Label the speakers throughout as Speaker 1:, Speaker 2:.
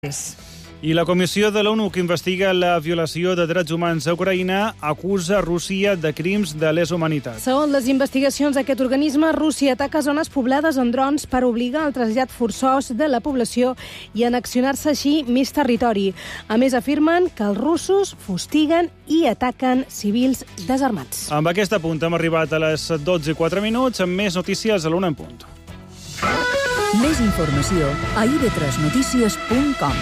Speaker 1: I la Comissió de l'ONU que investiga la violació de drets humans a Ucraïna acusa Rússia de crims de lesa humanitat.
Speaker 2: Segons les investigacions d'aquest organisme, Rússia ataca zones poblades amb drons per obligar al trasllat forçós de la població i annexionar-se així més territori. A més, afirmen que els russos fustiguen i ataquen civils desarmats.
Speaker 1: Amb aquest apunt hem arribat a les 12:04 amb més notícies a l'Una en punt.
Speaker 3: Més informació a ib3notícies.com.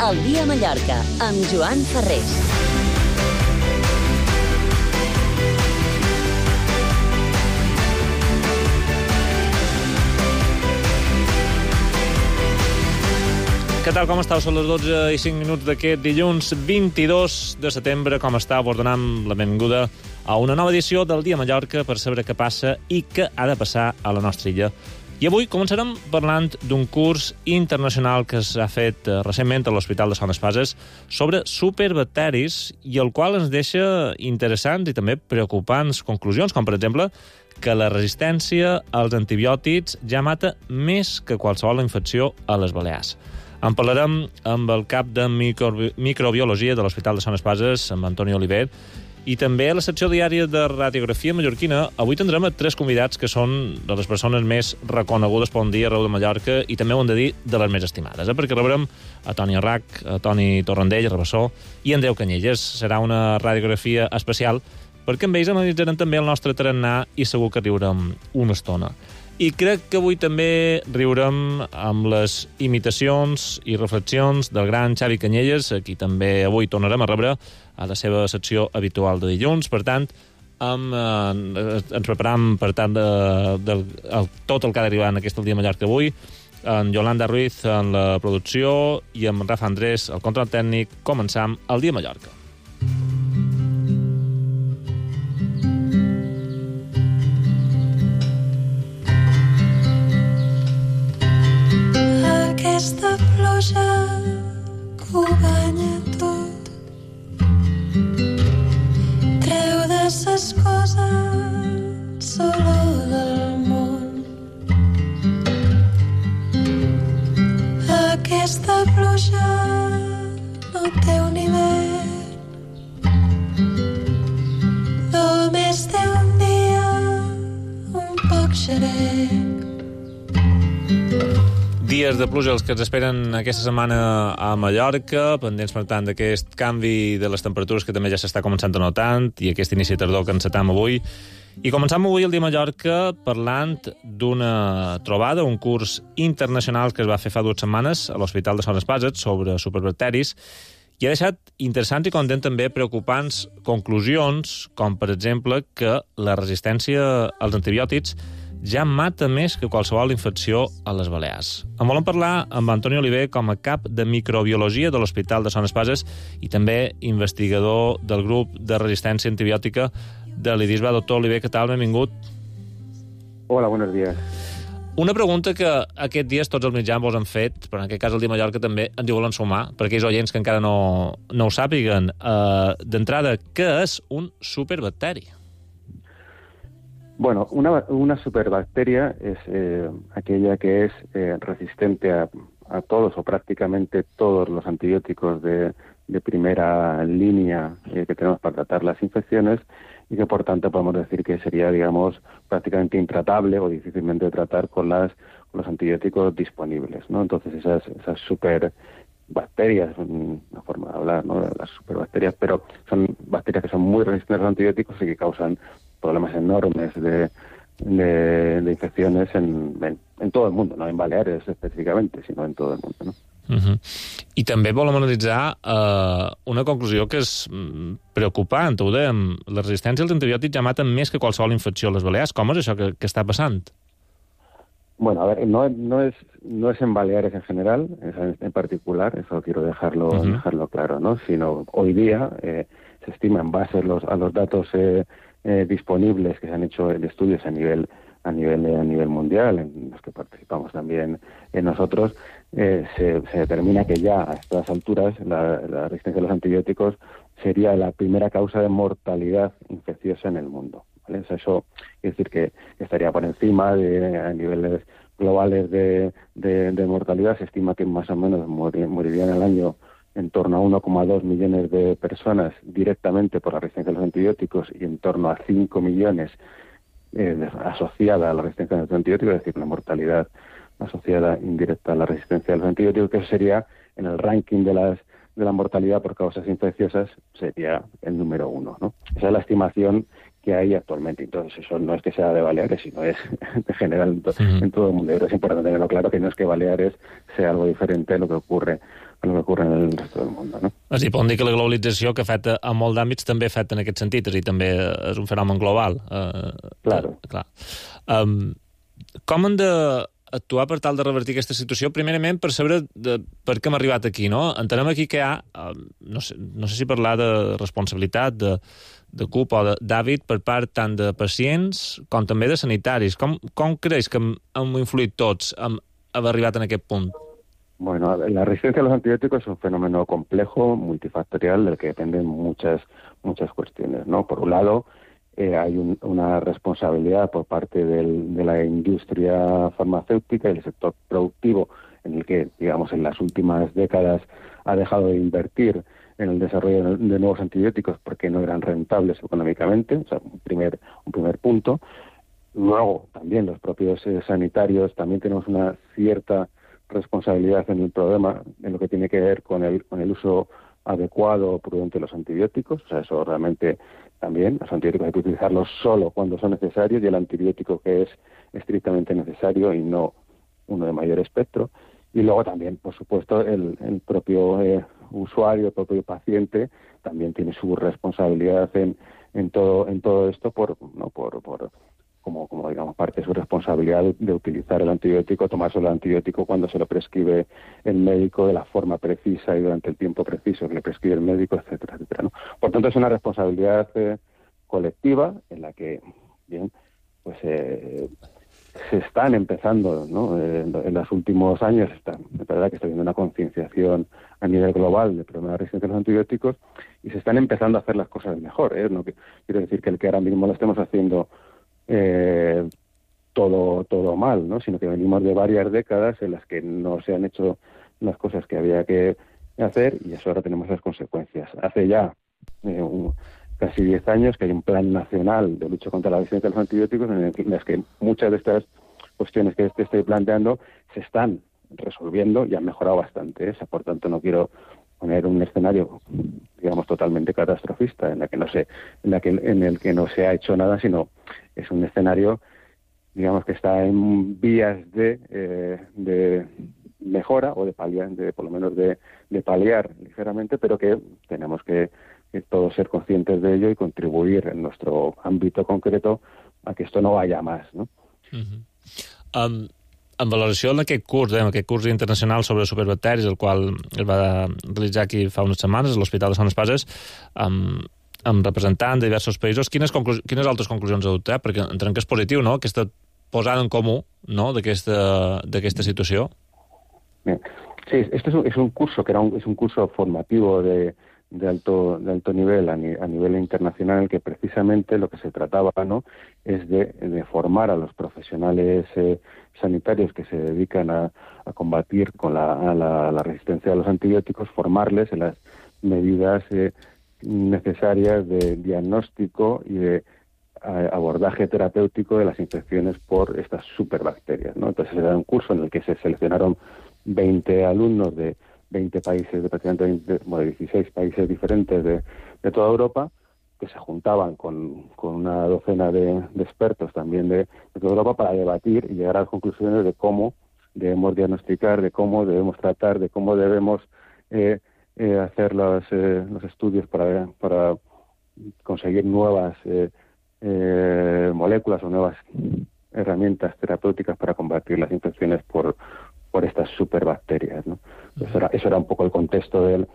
Speaker 4: El dia a Mallorca, amb Joan Ferrés.
Speaker 5: Què tal, com estàu? Són les 12:05 d'aquest dilluns 22 de setembre. Com estàu? Vos donem la benvinguda a una nova edició del Dia a Mallorca per saber què passa i què ha de passar a la nostra illa. I avui començarem parlant d'un curs internacional que s'ha fet recentment a l'Hospital de Son Espases sobre superbacteris i el qual ens deixa interessants i també preocupants conclusions, com per exemple que la resistència als antibiòtics ja mata més que qualsevol infecció a les Balears. En parlarem amb el cap de microbiologia de l'Hospital de Son Espases, amb Antoni Oliver, i també a la secció diària de radiografia mallorquina avui tindrem tres convidats que són de les persones més reconegudes per un dia arreu de Mallorca i també ho hem de dir de les més estimades, perquè rebrem a Toni Arrach, a Toni Torrendell, Rabassó i Andreu Canyelles. Serà una radiografia especial perquè amb ells analitzarem també el nostre tarannà i segur que riurem una estona. I crec que avui també riurem amb les imitacions i reflexions del gran Xavi Canyelles, a qui també avui tornarem a rebre a la seva secció habitual de dilluns. Per tant, ens preparam per tant tot el que ha d'arribar en aquest Dia a Mallorca avui, en Yolanda Ruiz en la producció i amb Rafa Andrés al control tècnic. Començam el Dia a Mallorca.
Speaker 6: Aquesta pluja que ho banya tot, treu de ses coses olor del món. Aquesta pluja no té un hivern, només té un dia un poc xerec.
Speaker 5: Dies de pluja els que ens esperen aquesta setmana a Mallorca, pendents per tant d'aquest canvi de les temperatures que també ja s'està començant a notar i aquest inici de tardor que encetam avui. I començam avui el Dia a Mallorca parlant d'una trobada, un curs internacional que es va fer fa 2 setmanes a l'Hospital de Son Espases sobre superbacteris i ha deixat interessants i content també preocupants conclusions, com per exemple que la resistència als antibiòtics ja mata més que qualsevol infecció a les Balears. En volem parlar amb Antoni Oliver com a cap de microbiologia de l'Hospital de Son Espases i també investigador del grup de resistència antibiòtica de l'IDISBA. Doctor Oliver, què tal? Benvingut.
Speaker 7: Hola, buenos días.
Speaker 5: Una pregunta que aquests dies tots els mitjans vos han fet, però en aquest cas el Dia a Mallorca també ens hi volen sumar, per aquells oients que encara no ho sàpiguen. D'entrada, què és un superbacteri?
Speaker 7: Bueno, una superbacteria es aquella que es resistente a todos o prácticamente todos los antibióticos de primera línea que tenemos para tratar las infecciones y que por tanto podemos decir que sería, digamos, prácticamente intratable o difícilmente de tratar con los antibióticos disponibles, ¿no? Entonces esas superbacterias, una forma de hablar, ¿no? Las superbacterias, pero son bacterias que son muy resistentes a los antibióticos y que causan problemas enormes de infecciones en todo el mundo, no en Baleares específicamente, sino en todo el mundo, ¿no?
Speaker 5: I també volem analitzar una conclusió que és preocupant. Ho dèiem, la resistència als antibiòtics ja maten més que qualsevol infecció a les Balears. Com és això que està passant?
Speaker 7: Bueno, a ver, no es en Baleares en general, en particular, eso quiero dejarlo claro, ¿no? Sino hoy día se estima en base a los datos disponibles que se han hecho de estudios a nivel mundial, en los que participamos también nosotros, se determina que ya a estas alturas la resistencia a los antibióticos sería la primera causa de mortalidad infecciosa en el mundo, ¿vale? O sea, eso quiere decir que estaría por encima a niveles globales de mortalidad. Se estima que más o menos morirían al año en torno a 1,2 millones de personas directamente por la resistencia a los antibióticos y en torno a 5 millones asociada a la resistencia a los antibióticos, es decir, la mortalidad asociada indirecta a la resistencia a los antibióticos, que eso sería, en el ranking de la mortalidad por causas infecciosas, sería el número 1, ¿no? Esa es la estimación que hay actualmente. Entonces, eso no es que sea de Baleares, sino es de general en todo el mundo. Pero es importante tenerlo claro, que no es que Baleares sea algo diferente a lo que ocurre en el resto del mundo, no?
Speaker 5: És a dir, podem dir que la globalització, que afecta a molt d'àmbits, també afecta en aquest sentit, és a dir, també és un fenomen global.
Speaker 7: Claro.
Speaker 5: Clar. Com hem d'actuar per tal de revertir aquesta situació? Primerament, per saber per què hem arribat aquí, no? Entenem aquí que hi ha, no sé si parlar de responsabilitat, de culpa o d'hàbit per part tant de pacients com també de sanitaris. Com creus que hem influït tots en haver arribat en aquest punt?
Speaker 7: Bueno, la resistencia a los antibióticos es un fenómeno complejo, multifactorial, del que dependen muchas cuestiones, ¿no? Por un lado, hay una responsabilidad por parte de la industria farmacéutica y el sector productivo, en el que, digamos, en las últimas décadas ha dejado de invertir en el desarrollo de nuevos antibióticos porque no eran rentables económicamente, o sea, un primer punto. Luego, también los propios sanitarios, también tenemos una cierta responsabilidad en el problema, en lo que tiene que ver con el uso adecuado o prudente de los antibióticos. O sea, eso realmente también, los antibióticos hay que utilizarlos solo cuando son necesarios, y el antibiótico que es estrictamente necesario y no uno de mayor espectro. Y luego también, por supuesto, el propio usuario, el propio paciente, también tiene su responsabilidad en todo esto como digamos, parte de su responsabilidad de utilizar el antibiótico, tomarse el antibiótico cuando se lo prescribe el médico, de la forma precisa y durante el tiempo preciso que le prescribe el médico, etcétera, etcétera, ¿no? Por tanto, es una responsabilidad colectiva en la que, bien, pues se están empezando, ¿no? En los últimos años, es verdad que está habiendo una concienciación a nivel global del problema de resistencia a los antibióticos, y se están empezando a hacer las cosas mejor, ¿eh? No quiero decir que el que ahora mismo lo estemos haciendo todo mal, ¿no? Sino que venimos de varias décadas en las que no se han hecho las cosas que había que hacer, y eso ahora tenemos las consecuencias. Hace ya casi 10 años que hay un plan nacional de lucha contra la resistencia a los antibióticos, en las que muchas de estas cuestiones que estoy planteando se están resolviendo y han mejorado bastante, ¿eh? O sea, por tanto, no quiero poner un escenario, digamos, totalmente catastrofista en el que no se ha hecho nada, sino es un escenario, digamos, que está en vías de mejora o de paliar, por lo menos de paliar ligeramente, pero que tenemos que todos ser conscientes de ello y contribuir en nuestro ámbito concreto a que esto no vaya más, ¿no?
Speaker 5: En valoració d'aquest curs internacional sobre superbacteris, el qual es va realitzar aquí fa unes setmanes a l'Hospital de Sant Espases, amb representants de diversos països, quines altres conclusions ha adoptat? Perquè entenem que és positiu, no?, aquesta posada en comú, no?, d'aquesta situació.
Speaker 7: Bien. Sí, este es un curso que es un curso formativo de alto nivel a nivel internacional, en el que precisamente lo que se trataba, ¿no?, es de formar a los profesionales sanitarios que se dedican a combatir con la resistencia a los antibióticos, formarles en las medidas necesarias de diagnóstico y de abordaje terapéutico de las infecciones por estas superbacterias, ¿no? Entonces era un curso en el que se seleccionaron 20 alumnos de 20 países, de prácticamente 16 países diferentes de toda Europa, que se juntaban con una docena de expertos también de toda Europa para debatir y llegar a las conclusiones de cómo debemos diagnosticar, de cómo debemos tratar, de cómo debemos hacer los estudios para conseguir nuevas moléculas o nuevas herramientas terapéuticas para combatir las infecciones por estas superbacterias, ¿no? Eso era un poco el contexto del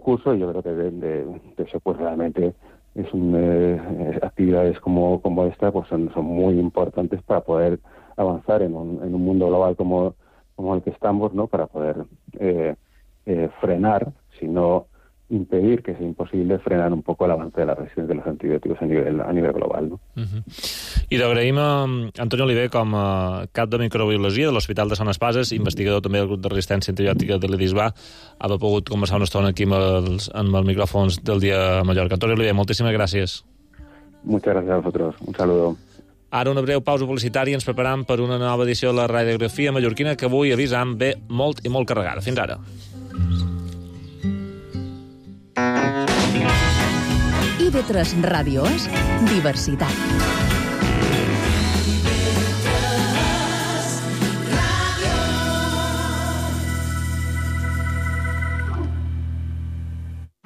Speaker 7: curso, y yo creo que de eso pues realmente actividades como esta pues son muy importantes para poder avanzar en un mundo global como el que estamos, ¿no? Para poder frenar, sino impedir, que sea imposible, frenar un poco el avance de la resistencia de los antibióticos a nivel global, ¿no?
Speaker 5: I l'agraïm a Antoni Oliver com a cap de microbiologia de l'Hospital de Sant Espases, investigador també del grup de resistència antibiòtica de l'EDISBA, haver pogut conversar una estona aquí amb els micròfons del Dia a Mallorca. Antoni Oliver, moltíssimes gràcies.
Speaker 7: Muchas gracias a vosotros. Un saludo.
Speaker 5: Ara una breu pausa publicitària i ens preparam per una nova edició de la radiografia mallorquina que avui, avisam, ve molt i molt carregada. Fins ara.
Speaker 3: IB3 Ràdio és diversitat.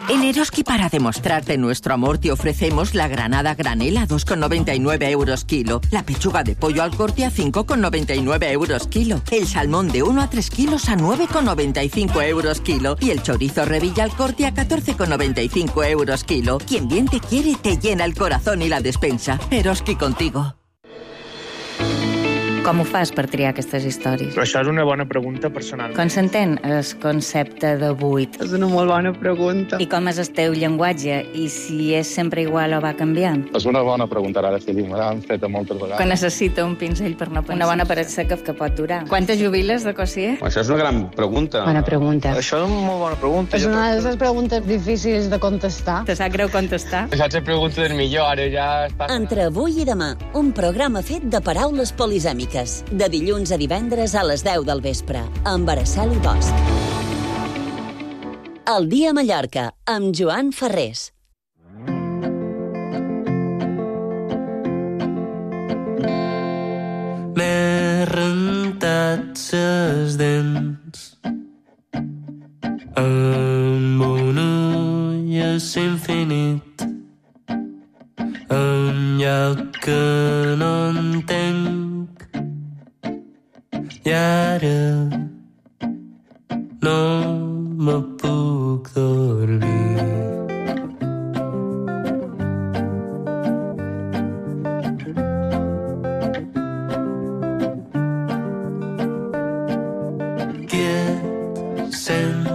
Speaker 8: En Eroski, para demostrarte nuestro amor, te ofrecemos la granada granel a 2,99 euros kilo, la pechuga de pollo al corte a 5,99 euros kilo, el salmón de 1 a 3 kilos a 9,95 euros kilo y el chorizo revilla al corte a 14,95 euros kilo. Quien bien te quiere te llena el corazón y la despensa. Eroski contigo.
Speaker 9: Com ho fas per triar aquestes històries?
Speaker 10: Però això és una bona pregunta personal.
Speaker 9: Com s'entén el concepte de buit?
Speaker 11: És una molt bona pregunta.
Speaker 9: I com és el teu llenguatge? I si és sempre igual o va canviant?
Speaker 12: És una bona pregunta, ara sí, me l'han fet moltes vegades.
Speaker 9: Que necessita un pinzell per no pensar. Una bona paret seca que pot durar. Quantes jubiles de Cossier?
Speaker 12: Això és una gran pregunta.
Speaker 11: Bona pregunta.
Speaker 10: Això és una molt bona pregunta.
Speaker 11: És una de les preguntes difícils de contestar.
Speaker 9: Te sap greu contestar?
Speaker 12: Això és la pregunta del millor, ara ja està...
Speaker 4: Entre avui i demà, un programa fet de paraules polisèmiques. De dilluns a divendres a les 10 del vespre, amb Araceli Bosch. El Dia a Mallorca, amb Joan Ferrés.
Speaker 13: M'he rentat ses dents amb un ull és infinit, un lloc que no entenc. I ara no me puc dormir. Quiet, sent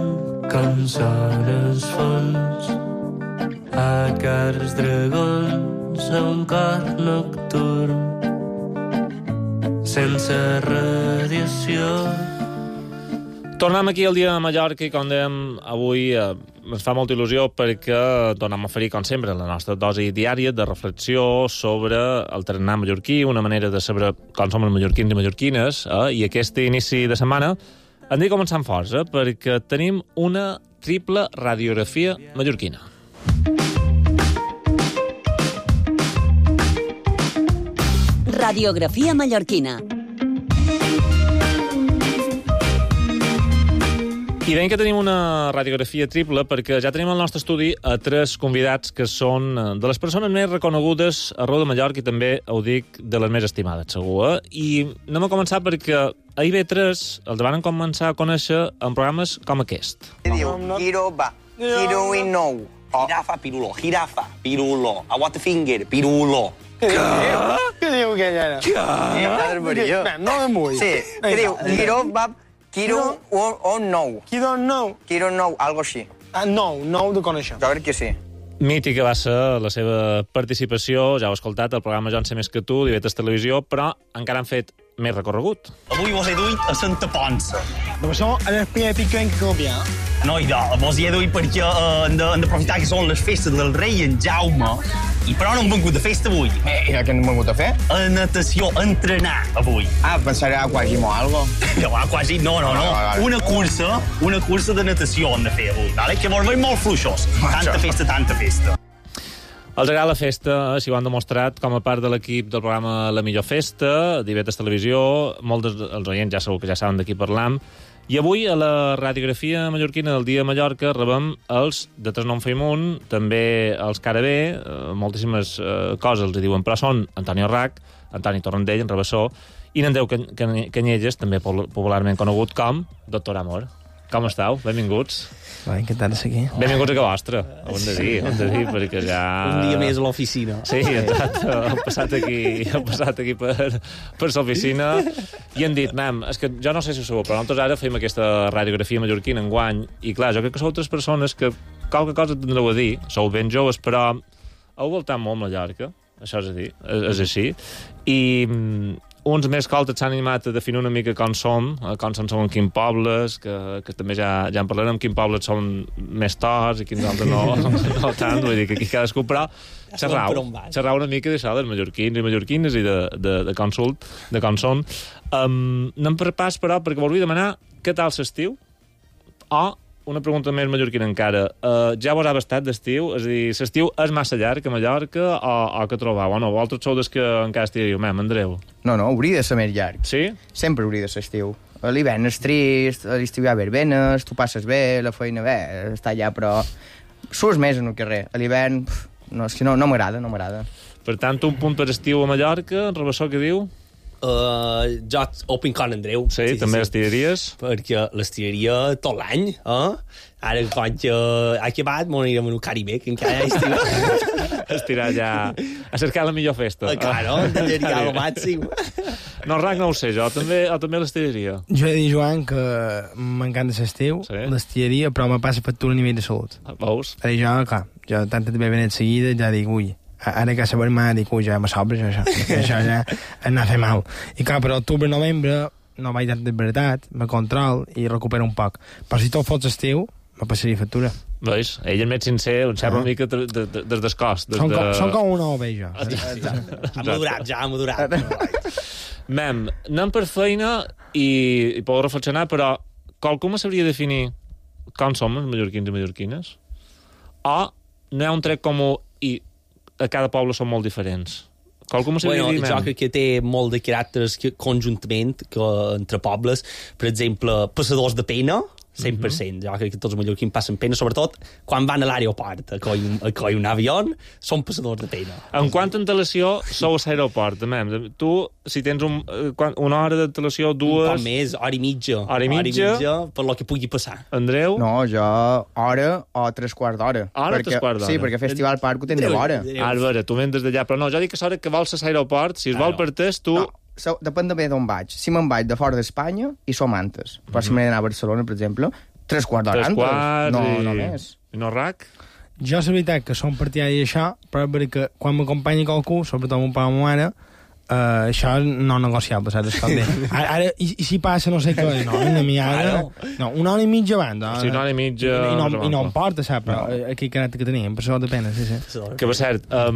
Speaker 13: com són els fons, a cars dragons, a un cor nocturn, sense radiació.
Speaker 5: Tornem aquí al Dia de Mallorca i, com dèiem, avui ens fa molta il·lusió perquè tornem a oferir, com sempre, la nostra dosi diària de reflexió sobre el tarannà mallorquí, una manera de saber com som els mallorquins i mallorquines, i aquest inici de setmana hem de començar amb força perquè tenim una triple radiografia mallorquina.
Speaker 4: Radiografia mallorquina.
Speaker 5: I deim que tenim una radiografia triple perquè ja tenim al nostre estudi a tres convidats que són de les persones més reconegudes a Arreu de Mallorca i també, ho dic, de les més estimades, segur. I anem a començar perquè a IB3 els van començar a conèixer en programes com aquest.
Speaker 14: Diu, Giro va, Giro i nou. Jirafa, pirulo, jirafa, pirulo. A what the finger, pirulo.
Speaker 10: Què diu que ella era?
Speaker 14: Què?
Speaker 10: No me mull.
Speaker 14: Sí, què diu? Giro va... Quiro o nou.
Speaker 10: Quiro nou?
Speaker 14: Quiro nou, algo així.
Speaker 10: Nou de conèixer.
Speaker 14: Jo crec que sí.
Speaker 5: Mítica va ser la seva participació, ja ho he escoltat, al programa Jo en sé més que tu, d'IB3 Televisió, però encara han fet més recorregut.
Speaker 15: Avui vos he duit a Santa Ponça.
Speaker 10: Però això és el primer pic que hem de canviar.
Speaker 15: No, vos hi he duit perquè hem d'aprofitar que són les festes del rei en Jaume, i però no hem vengut de festa avui.
Speaker 14: I què hem vengut a fer?
Speaker 15: A natació, a entrenar avui.
Speaker 14: Pensaré a quasi o algo.
Speaker 15: No, quasi, no. Una cursa de natació hem de fer avui, vale? Que vos veig molt fluixos. Tanta festa.
Speaker 5: Els agrada la festa, si ho han demostrat, com a part de l'equip del programa La Millor Festa, d'IB3 Televisió, molts dels oients ja segur que ja saben de qui parlam, i avui a la radiografia mallorquina del Dia de Mallorca rebem els de Tres Nom Feimunt, també els Carabé, moltíssimes coses els diuen, però són Antoni Arrac, Antoni Torrendell, en Rabassó, i n'Andreu Canyelles, també popularment conegut com Doctor Amor. Com esteu? Benvinguts.
Speaker 16: Va, encantat de ser aquí.
Speaker 5: Benvinguts a que vostra, ho hem de dir, perquè ja...
Speaker 17: Un dia més a l'oficina.
Speaker 5: Sí, exacte, heu passat aquí per l'oficina i han dit, nen, és que jo no sé si ho sabeu, però nosaltres ara fem aquesta radiografia mallorquina enguany, i clar, jo crec que sou altres persones que qualque cosa tindreu a dir, sou ben joves, però heu voltat molt Mallorca, això és a dir, és així, i uns més que altres s'han animat a definir una mica com som en quins pobles, que també ja en parlarem, en quins pobles són més torts i quins altres no tant, vull dir que aquí cadascú, però xerrau una mica d'això, dels mallorquins i mallorquines i de com són. Anem per pas, però, perquè volia demanar què tal l'estiu, o una pregunta més mallorquina encara. Ja vos ha bastat d'estiu? És a dir, l'estiu és massa llarg a Mallorca o què trobeu? O no, vosaltres sou des que encara estigueu, Andreu?
Speaker 18: No, hauria de ser més llarg.
Speaker 5: Sí?
Speaker 18: Sempre hauria de ser estiu. L'hivern és trist, a l'estiu hi ha verbenes, tu passes bé, la feina bé, està allà, però surts més en el carrer. A l'hivern, no, és que no m'agrada.
Speaker 5: Per tant, un punt per estiu a Mallorca, Rabassó, què diu?
Speaker 17: Jo open con Andreu.
Speaker 5: Sí, també les tiraries?
Speaker 17: Perquè les tiraria tot l'any, Ara, quan ha acabat, m'anirem a un Caribe, que encara hi estiu.
Speaker 5: Estirar ja a cercar la millor festa.
Speaker 17: Claro, tiraria al màxim.
Speaker 5: No, Rac, no ho sé, jo també les tiraria.
Speaker 16: Jo he de dir, Joan, que m'encanta l'estiu, les tiraria, però me passa factura a nivell de salut.
Speaker 5: Veus?
Speaker 16: Jo, clar, tanta també benet seguida, ja dic, ui, ara que saber-me, dic, ui, ja me sobra, això ja anar a fer mal. I clar, per octubre-novembre no vaig tant de veritat, me control i recupero un poc. Però si tot fos estiu, me passaria factura.
Speaker 5: Veus? Ell és més sincer, un sembla una mica des d'escost.
Speaker 16: Són com una oveja.
Speaker 17: Ha madurat.
Speaker 5: Mem, anem per feina i podeu reflexionar, però qualcú me sabria definir com som els mallorquins i mallorquines? O no hi ha un tret comú i a cada poble són molt diferents? Qualcú m'ho sabria dir,
Speaker 17: jo crec que té molt de caràcters conjuntament entre pobles. Per exemple, passadors de pena, 100%. Jo crec que tots els mallorquins passen pena, sobretot quan van a l'aeroport a coi un avió, són passadors de pena.
Speaker 5: En quant antelació sou a l'aeroport? Tu, si tens una hora d'antelació, dues...
Speaker 17: Un poc més, hora i mitja.
Speaker 5: Hora i mitja,
Speaker 17: per lo que pugui passar.
Speaker 5: Andreu?
Speaker 18: No, jo hora o 3/4 d'hora.
Speaker 5: Hora o 3/4 d'hora?
Speaker 18: Sí, perquè Festival Parc ho tens de l'hora.
Speaker 5: A veure, tu vens des d'allà, però no, jo dic que l'hora que vols a l'aeroport, si es vol per test, tu...
Speaker 18: No. Depèn també d'on vaig. Si me'n vaig de fora d'Espanya, i som antes. Però si m'he d'anar a Barcelona, per exemple, 3/4 d'hora antes. No més.
Speaker 5: I no, Rac?
Speaker 16: Jo, la veritat, que som partidari d'això, però perquè quan m'acompanya qualcú, sobretot mon pare o ma mare, això no negociable, saps? Ara, i si passa no sé què, no, una hora i mitja abans.
Speaker 5: Sí, una hora i mitja...
Speaker 16: I no em porta, saps? Però aquell caràcter que teníem, per això de pena, sí.
Speaker 5: Que, per cert, a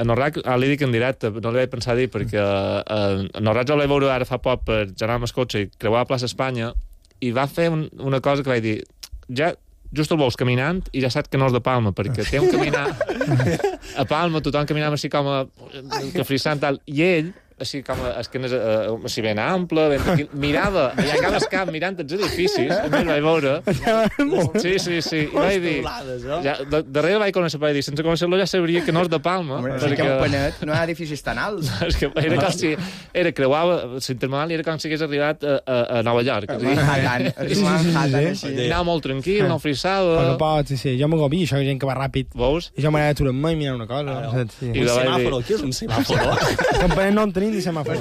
Speaker 5: Norrac li dic en directe, no li vaig pensar dir, perquè a Norrac jo l'he veure ara fa poc per anar amb el cotxe i creuar a plaça Espanya, i va fer una cosa que vaig dir, ja just el veus caminant i ja saps que no és de Palma, perquè té un caminar a Palma, tothom caminava així com a frissant tal, i ell així com així ben ample, mirava allà a cada camp mirant els edificis, a mi el vaig veure. Sí, i vaig dir... Darrere vaig conèixer, vaig dir, sense conèixer-lo ja sabria que no és de Palma.
Speaker 18: Perquè que un panet no hi ha edificis tan alts.
Speaker 5: Era com si creuava l'intermodal i era com si hagués arribat a Nova York. Anava molt tranquil, no frissava.
Speaker 16: No pot, sí, jo m'agobio, això, gent que va ràpid.
Speaker 5: Veus?
Speaker 16: I jo m'agrada aturar-me i mirar una cosa.
Speaker 17: Un semàforo, què és un semàforo?
Speaker 16: Com panet no en tenim ni semàfor.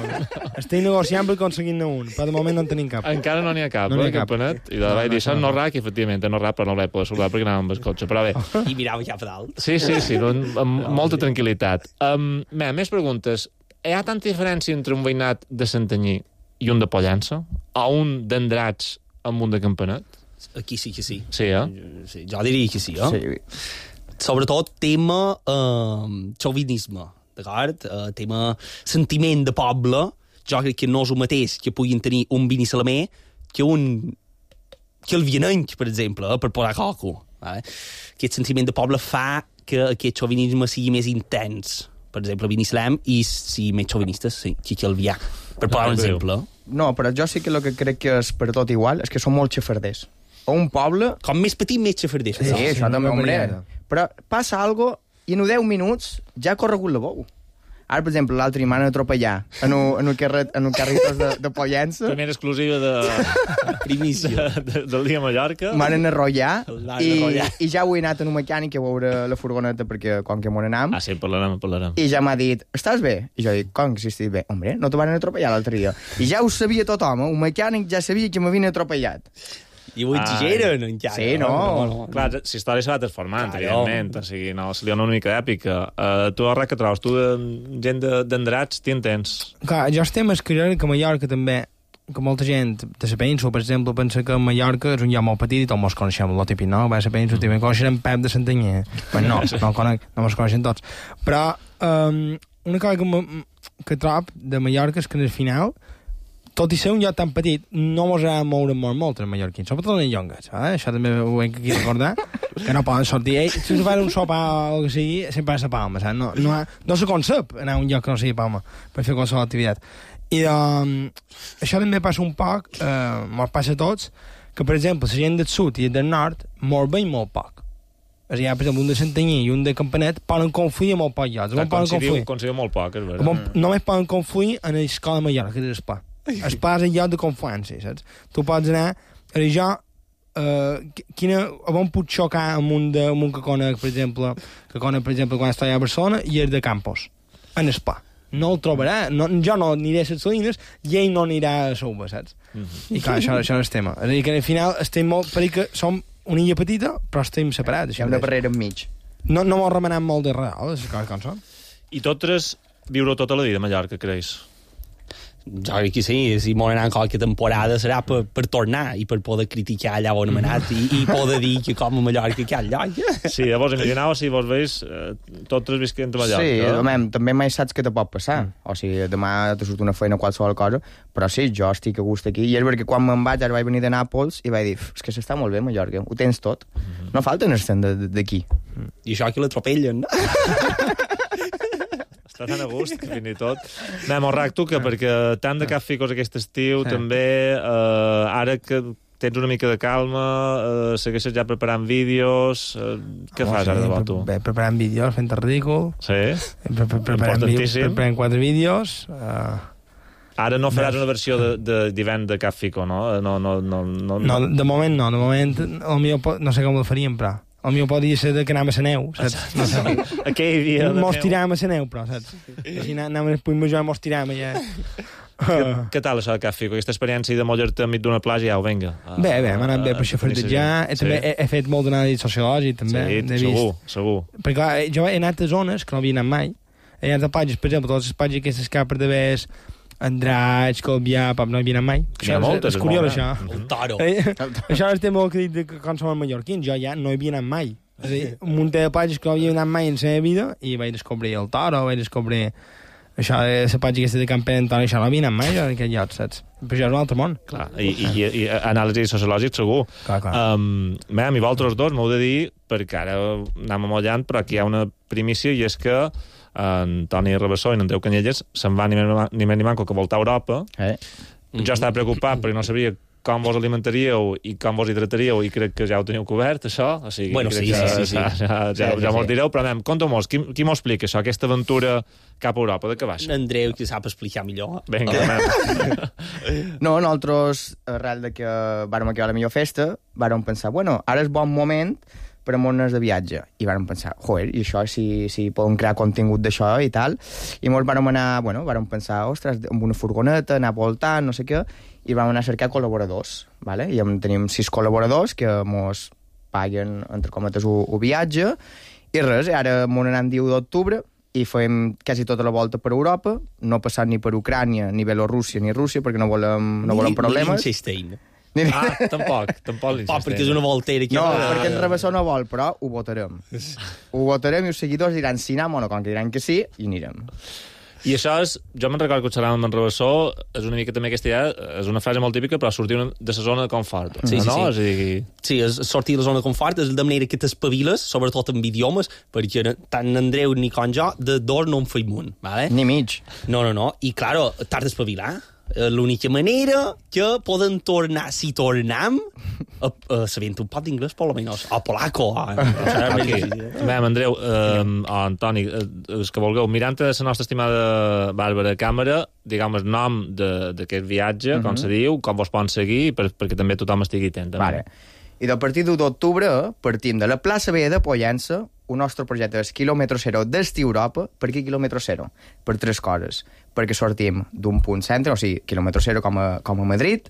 Speaker 16: Estic negociant per aconseguir-ne un, però de moment no en tenim cap.
Speaker 5: Encara no n'hi ha cap, campanet. I vaig dir, això no Rac, i efectivament, no Rac, però no l'he pogut saludar perquè anava amb el cotxe, però bé.
Speaker 17: I mirava cap a dalt.
Speaker 5: Sí, amb molta tranquil·litat. Més preguntes. Hi ha tanta diferència entre un veïnat de Santanyí i un de Pollença? O un d'Andratx amb un de Campanet?
Speaker 17: Aquí sí que sí.
Speaker 5: Sí,
Speaker 17: Sí, jo diria que sí, Sobretot tema xovinisme. D'acord? Tema sentiment de poble, jo crec que no és el mateix que puguin tenir un vinissalamé que el vienenc, per exemple, per posar coco. Aquest sentiment de poble fa que aquest xovinisme sigui més intens. Per exemple, vinissalam i sigui més xovinistes que el vià. Per posar un exemple.
Speaker 18: No, però jo sí que el que crec que és per tot igual és que són molt xafarders. O un poble...
Speaker 17: Com més petit, més xafarders.
Speaker 18: Sí, això també, hombre. Però passa algo i en 10 minuts ja ha corregut la bou. Ara, per exemple, l'altre dia m'han atropellat en un carritos de Pollença.
Speaker 5: Primera exclusiva
Speaker 17: primícia
Speaker 5: del dia a Mallorca.
Speaker 18: M'han enrollat i ja ho he anat en un mecànic a veure la furgoneta perquè com que m'on anam.
Speaker 5: Sí, parlarem.
Speaker 18: I ja m'ha dit, estàs bé? I jo dic, com que si estic bé? Hombre, no te van atropellar l'altre dia. I ja ho sabia tothom, un mecànic ja sabia que m'havien atropellat.
Speaker 17: I ho exageren, encara.
Speaker 18: Sí, no.
Speaker 5: Clar, la història s'ha anat transformant, evidentment. O sigui, no, se li dona una mica èpica. Tu, Arra, que trobes? Tu, gent d'Andrats, t'hi entens?
Speaker 16: Clar, jo estem escrivint que a Mallorca també, que molta gent de la península, per exemple, pensa que Mallorca és un lloc molt petit i tots mos coneixem, el típic, no? Va a la península, també coneixem Pep de Santanyí. Pues no mos coneixem tots. Però una cosa que trob de Mallorca és que al final, tot i ser un lloc tan petit, no mos ha de moure molt els mallorquins, sobretot els llongues. Això també ho hem aquí recordar, que no poden sortir ells. Si us fan un sopar o el que sigui, sempre és a Palma. No se concep anar a un lloc que no sigui Palma per fer qualsevol activitat. I això també passa un poc, mos passa a tots, que, per exemple, la gent del sud i del nord mos veiem molt poc. O sigui, per exemple, un de Santanyí i un de Campanet poden confluir a molt pocs llocs.
Speaker 5: Coincidiu molt poc, és veritat.
Speaker 16: Només poden confluir en l'escola de Mallorca, que és l'Espa. Espa és el lloc de confluència, saps? Tu pots anar... on puc xocar amb un que conec, per exemple, quan estava a Barcelona, i és de Campos, en Espa. No el trobarà, jo no aniré a les Salines i ell no anirà a Souba, saps? I clar, això és el tema. És a dir, que al final estem molt... perquè som una illa petita, però estem separats.
Speaker 18: Hi ha una barrera enmig.
Speaker 16: No m'ho remenem molt de real, les coses com són.
Speaker 5: I totes viure tota la vida a Mallorca, creus?
Speaker 17: Jo crec que sí, si m'ho anar qualque temporada serà per tornar i per poder criticar allà on hem anat i poder dir que com a Mallorca que hi ha lloc.
Speaker 5: Sí, llavors imagineu si vos veus totes visquent a Mallorca.
Speaker 18: Sí, també mai saps què te pot passar. O sigui, demà te surt una feina o qualsevol cosa, però sí, jo estic a gust aquí. I és perquè quan me'n vaig, ara vaig venir de Nàpols i vaig dir, és que s'està molt bé a Mallorca, ho tens tot. No falten estem d'aquí.
Speaker 17: I això que l'atropellen, no?
Speaker 5: Està tan a gust, que fins i tot... Anem, Orrac, tu, que perquè tant de cap ficos aquest estiu, també, ara que tens una mica de calma, segueixes ja preparant vídeos... Què fas ara de bo, tu?
Speaker 16: Preparant vídeos, fent el ridícul.
Speaker 5: Sí?
Speaker 16: Preparant 4 vídeos...
Speaker 5: Ara no faràs una versió d'hivern de cap fico, no? No,
Speaker 16: de moment no. De moment, no sé com ho faríem, però... El meu podria ser que anàvem a la neu, saps? No sé.
Speaker 5: Aquell dia de neu.
Speaker 16: Mos tiràvem a la neu, però, saps? Si anàvem al Puig Major, mos tiràvem allà.
Speaker 5: Què tal això de Cap Fico? Aquesta experiència de moure-te enmig d'una platja, au, vinga.
Speaker 16: Bé, m'ha anat bé per xafardejar. També he fet molt d'anàlisi sociològic, també.
Speaker 5: Sí, segur.
Speaker 16: Perquè, clar, jo he anat a zones que no havia anat mai. He anat a platges, per exemple, totes les platges aquestes que per d'haver Andratx, Calvià, no hi havia anat mai.
Speaker 5: Hi ha moltes,
Speaker 16: és curiós, això.
Speaker 17: El Taro.
Speaker 16: Això és el tema que he dit que quan som mallorquins, jo ja no hi havia anat mai. És a dir, un munt de platges que no havia anat mai en la meva vida i vaig descobrir el Taro, vaig descobrir això de la platja aquesta de Campanet, això no havia anat mai, en aquest lloc, saps? Però això és un altre món.
Speaker 5: Clar, i anàlisi sociològic segur.
Speaker 16: Clar.
Speaker 5: A mi vosaltres dos m'heu de dir, perquè ara anem amollant, però aquí hi ha una primícia i és que en Toni Rabassó i en Andreu Canyelles se'n va ni més ni manco que voltar a Europa. Jo estava preocupat perquè no sabia com vos alimentaríeu i com vos hidrataríeu i crec que ja ho teniu cobert, això. O sigui,
Speaker 17: bueno, sí.
Speaker 5: Ja mos direu, però anem, conta-mos, qui m'ho explica això, aquesta aventura cap a Europa, de què baixa?
Speaker 17: Andreu, que sap explicar millor.
Speaker 5: Vinga,
Speaker 18: No, nosaltres, arrel de que vàrem acabar la millor festa, vàrem pensar, bueno, ara és bon moment per a mones de viatge. I vàrem pensar, joder, i això, si podem crear contingut d'això i tal. I molts vàrem anar, vàrem pensar, ostres, amb una furgoneta, anar voltant, no sé què, i vàrem anar a cercar col·laboradors, ¿vale? I tenim 6 col·laboradors que mos paguen, entre cometes, un viatge, i res, ara mos n'anem 10 d'octubre, i fem quasi tota la volta per Europa, no passant ni per Ucrània, ni Bielorússia, ni Rússia, perquè no volem problemes.
Speaker 17: Ni Liechtenstein.
Speaker 5: Tampoc
Speaker 17: perquè és una voltera aquí.
Speaker 18: No, perquè el Rabassó no vol, però ho votarem. Ho votarem i els seguidors diran sí, no, com que diran que sí, i anirem.
Speaker 5: I això és, jo me'n recordo que xerràvem amb en Rabassó, és una mica també aquesta idea, és una frase molt típica, però sortir de la zona de confort.
Speaker 17: Sí.
Speaker 5: Sí,
Speaker 17: és sortir de la zona de confort, és de manera que t'espaviles, sobretot amb idiomes, perquè tant Andreu ni com jo, de dos no en feim un, ¿vale?
Speaker 18: Ni mig.
Speaker 17: No, i claro, t'has d'espavilar. l'única manera que poden tornar, si tornem, sabent un pot d'inglès, per almenys, o polaco.
Speaker 5: Andreu, o Antoni, els que vulgueu, mirant a la nostra estimada Bàrbara Càmera, diguem el nom d'aquest viatge, com se diu, com vos poden seguir, perquè també tothom estigui atent.
Speaker 18: Vale. I a partir de d'octubre partim de la plaça Vella de Pollença. El nostre projecte és quilòmetre zero d'Esti Europa. Per què quilòmetre zero? Per 3 coses. Perquè sortim d'un punt centre, o sigui, quilòmetre zero com a Madrid,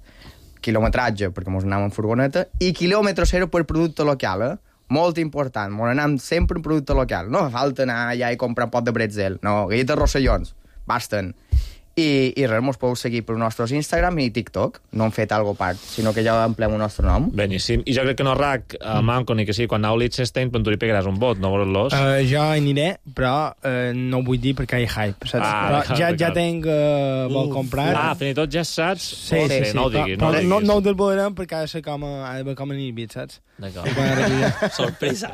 Speaker 18: quilometratge perquè mos anem en furgoneta, i quilòmetre zero per producte local, molt important, mos anem sempre en producte local. No fa falta anar allà i comprar un pot de bretzel, no, galletes Rossellons, basten. I res, mos podeu seguir per nostres Instagram i TikTok. No hem fet algo part, sinó que ja emplem el nostre nom.
Speaker 5: Beníssim. I jo crec que no RAC, Manco, ni que sí, quan aneu a Liechtenstein, tu li pegaràs un vot, no veuràs-los?
Speaker 16: Jo aniré, però no ho vull dir perquè hi ha hype, saps? Però ja tenc vol comprar.
Speaker 5: Fins i tot ja saps?
Speaker 16: Sí.
Speaker 5: No ho diguis.
Speaker 16: Però no ho desvelarem perquè ha de ser com a nirvit, saps?
Speaker 5: D'acord. Sorpresa.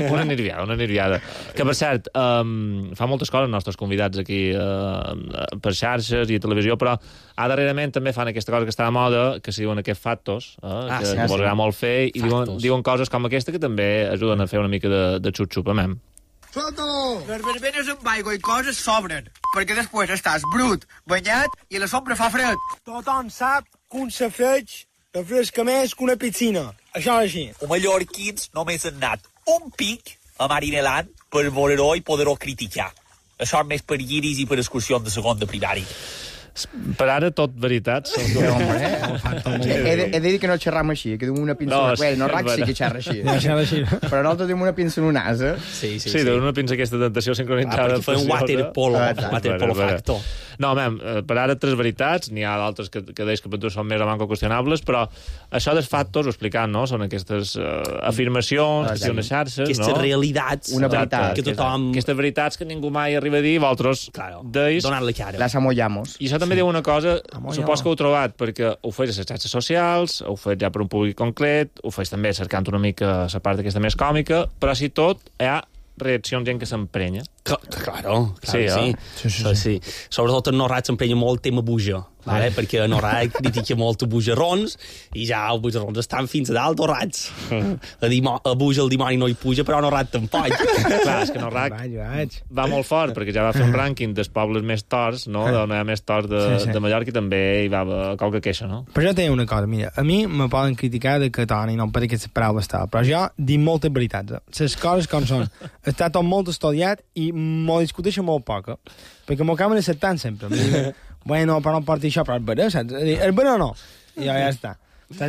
Speaker 5: Una nerviada. Que, per cert, fa moltes coses els nostres convidats aquí per xarxes i televisió, però darrerament també fan aquesta cosa que està de moda, que se diuen aquests factos, que vos agrada molt fer, i diuen coses com aquesta que també ajuden a fer una mica de xup-xup, amem.
Speaker 10: Suelto! Les verbenes amb aigua i coses sobren, perquè després estàs brut, banyat i a la sombra fa fred. Tothom sap que un safeig refresca més que una piscina. Això és així.
Speaker 19: Els mallorquins només han anat un pic a Marineland per veure-ho i poder-ho criticar. Això és més per guiris i per excursions de segon de primari.
Speaker 5: Per ara, tot veritats.
Speaker 18: He de dir que no xerram així, que duim una pinça... No, RAC sí que xerra així. Però nosaltres duim una pinça en un as,
Speaker 5: Sí, duim una pinça aquesta tentació sincronitzada.
Speaker 17: Perquè fa un waterpolo factor.
Speaker 5: No, per ara 3 veritats, n'hi ha d'altres que deies que per tu són més o manco qüestionables, però això dels factors, ho explicant, no? Són aquestes afirmacions, que són les xarxes,
Speaker 17: aquestes realitats,
Speaker 18: una veritat,
Speaker 17: que tothom...
Speaker 5: Aquestes veritats que ningú mai arriba a dir, vosaltres deis...
Speaker 17: Donar-li cara.
Speaker 18: Les amollamos.
Speaker 5: I això també diu una cosa, supos que ho heu trobat, perquè ho feis a les xarxes socials, ho feis ja per un públic concret, ho feis també cercant una mica la part aquesta més còmica, però si tot hi ha reaccions gent que s'emprenya.
Speaker 17: Claro, sí. Sobretot en Norrat s'emprenya molt el tema buja, perquè en Norrat critica molt els bujarrons i ja els bujarrons estan fins a dalt torrats. A buja el dimoni no hi puja, però a Norrat tampoc.
Speaker 5: Clar, és que Norrat va molt fort, perquè ja va fer un rànquing dels pobles més torts, no? D'on hi ha més torts de Mallorca, i també hi va qualque queixa, no?
Speaker 16: Però jo tinc una cosa, mira, a mi me poden criticar de que Toni no em pareix aquestes paraules tal, però jo dic moltes veritats. Les coses com són. Està tot molt estudiat i m'ho discuteixo molt poc, perquè m'ho acaben acceptant sempre. Bueno, però no porti això, però és vera, saps? És vera o no? I ja està.